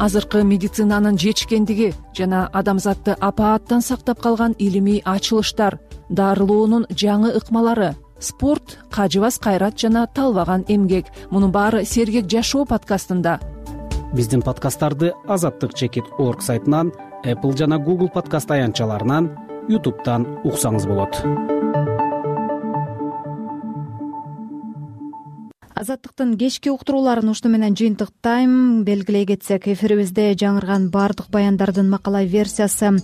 Азыркы медицинанын жетишкендиги жана адамзатты апааттан сактап калган илимий ачылыштар, дарылоонун жаңы ыкмалары, спорт, кажыбас кайрат жана талбаган эмгек. Мунун баары Сергек жашоо подкастында. Биздин подкасттарды azattik.org сайтынан, Apple жана Google подкаст аянтчаларынан, YouTube'дан уксаңыз болот. Азаттыктын кечки уктурууларын ушуну менен жыйынтыктайм. Белгилей кетсек, эфирибизде жаңырган баардык баяндардын макала версиясы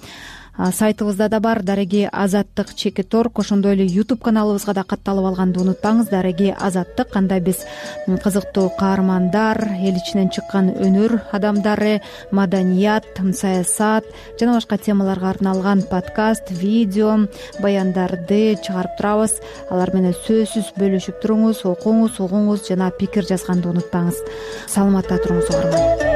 сайтыбызда да бар. Дареги azattik.org, ошондой эле YouTube каналыбызга да катталып алганды унутпаңыз. Дареги Азаттык, анда биз кызыктуу каармандар, эл ичинен чыккан өнөр адамдары, маданият, саясат жана башка темаларга арналган подкаст, видео, баяндарды чыгарып турабыз. Алар менен сөзсүз бөлүшүп туруңуз, окуңуз, угуңуз жана пикир жазганды унутпаңыз. Саламатта туруңуз угарман.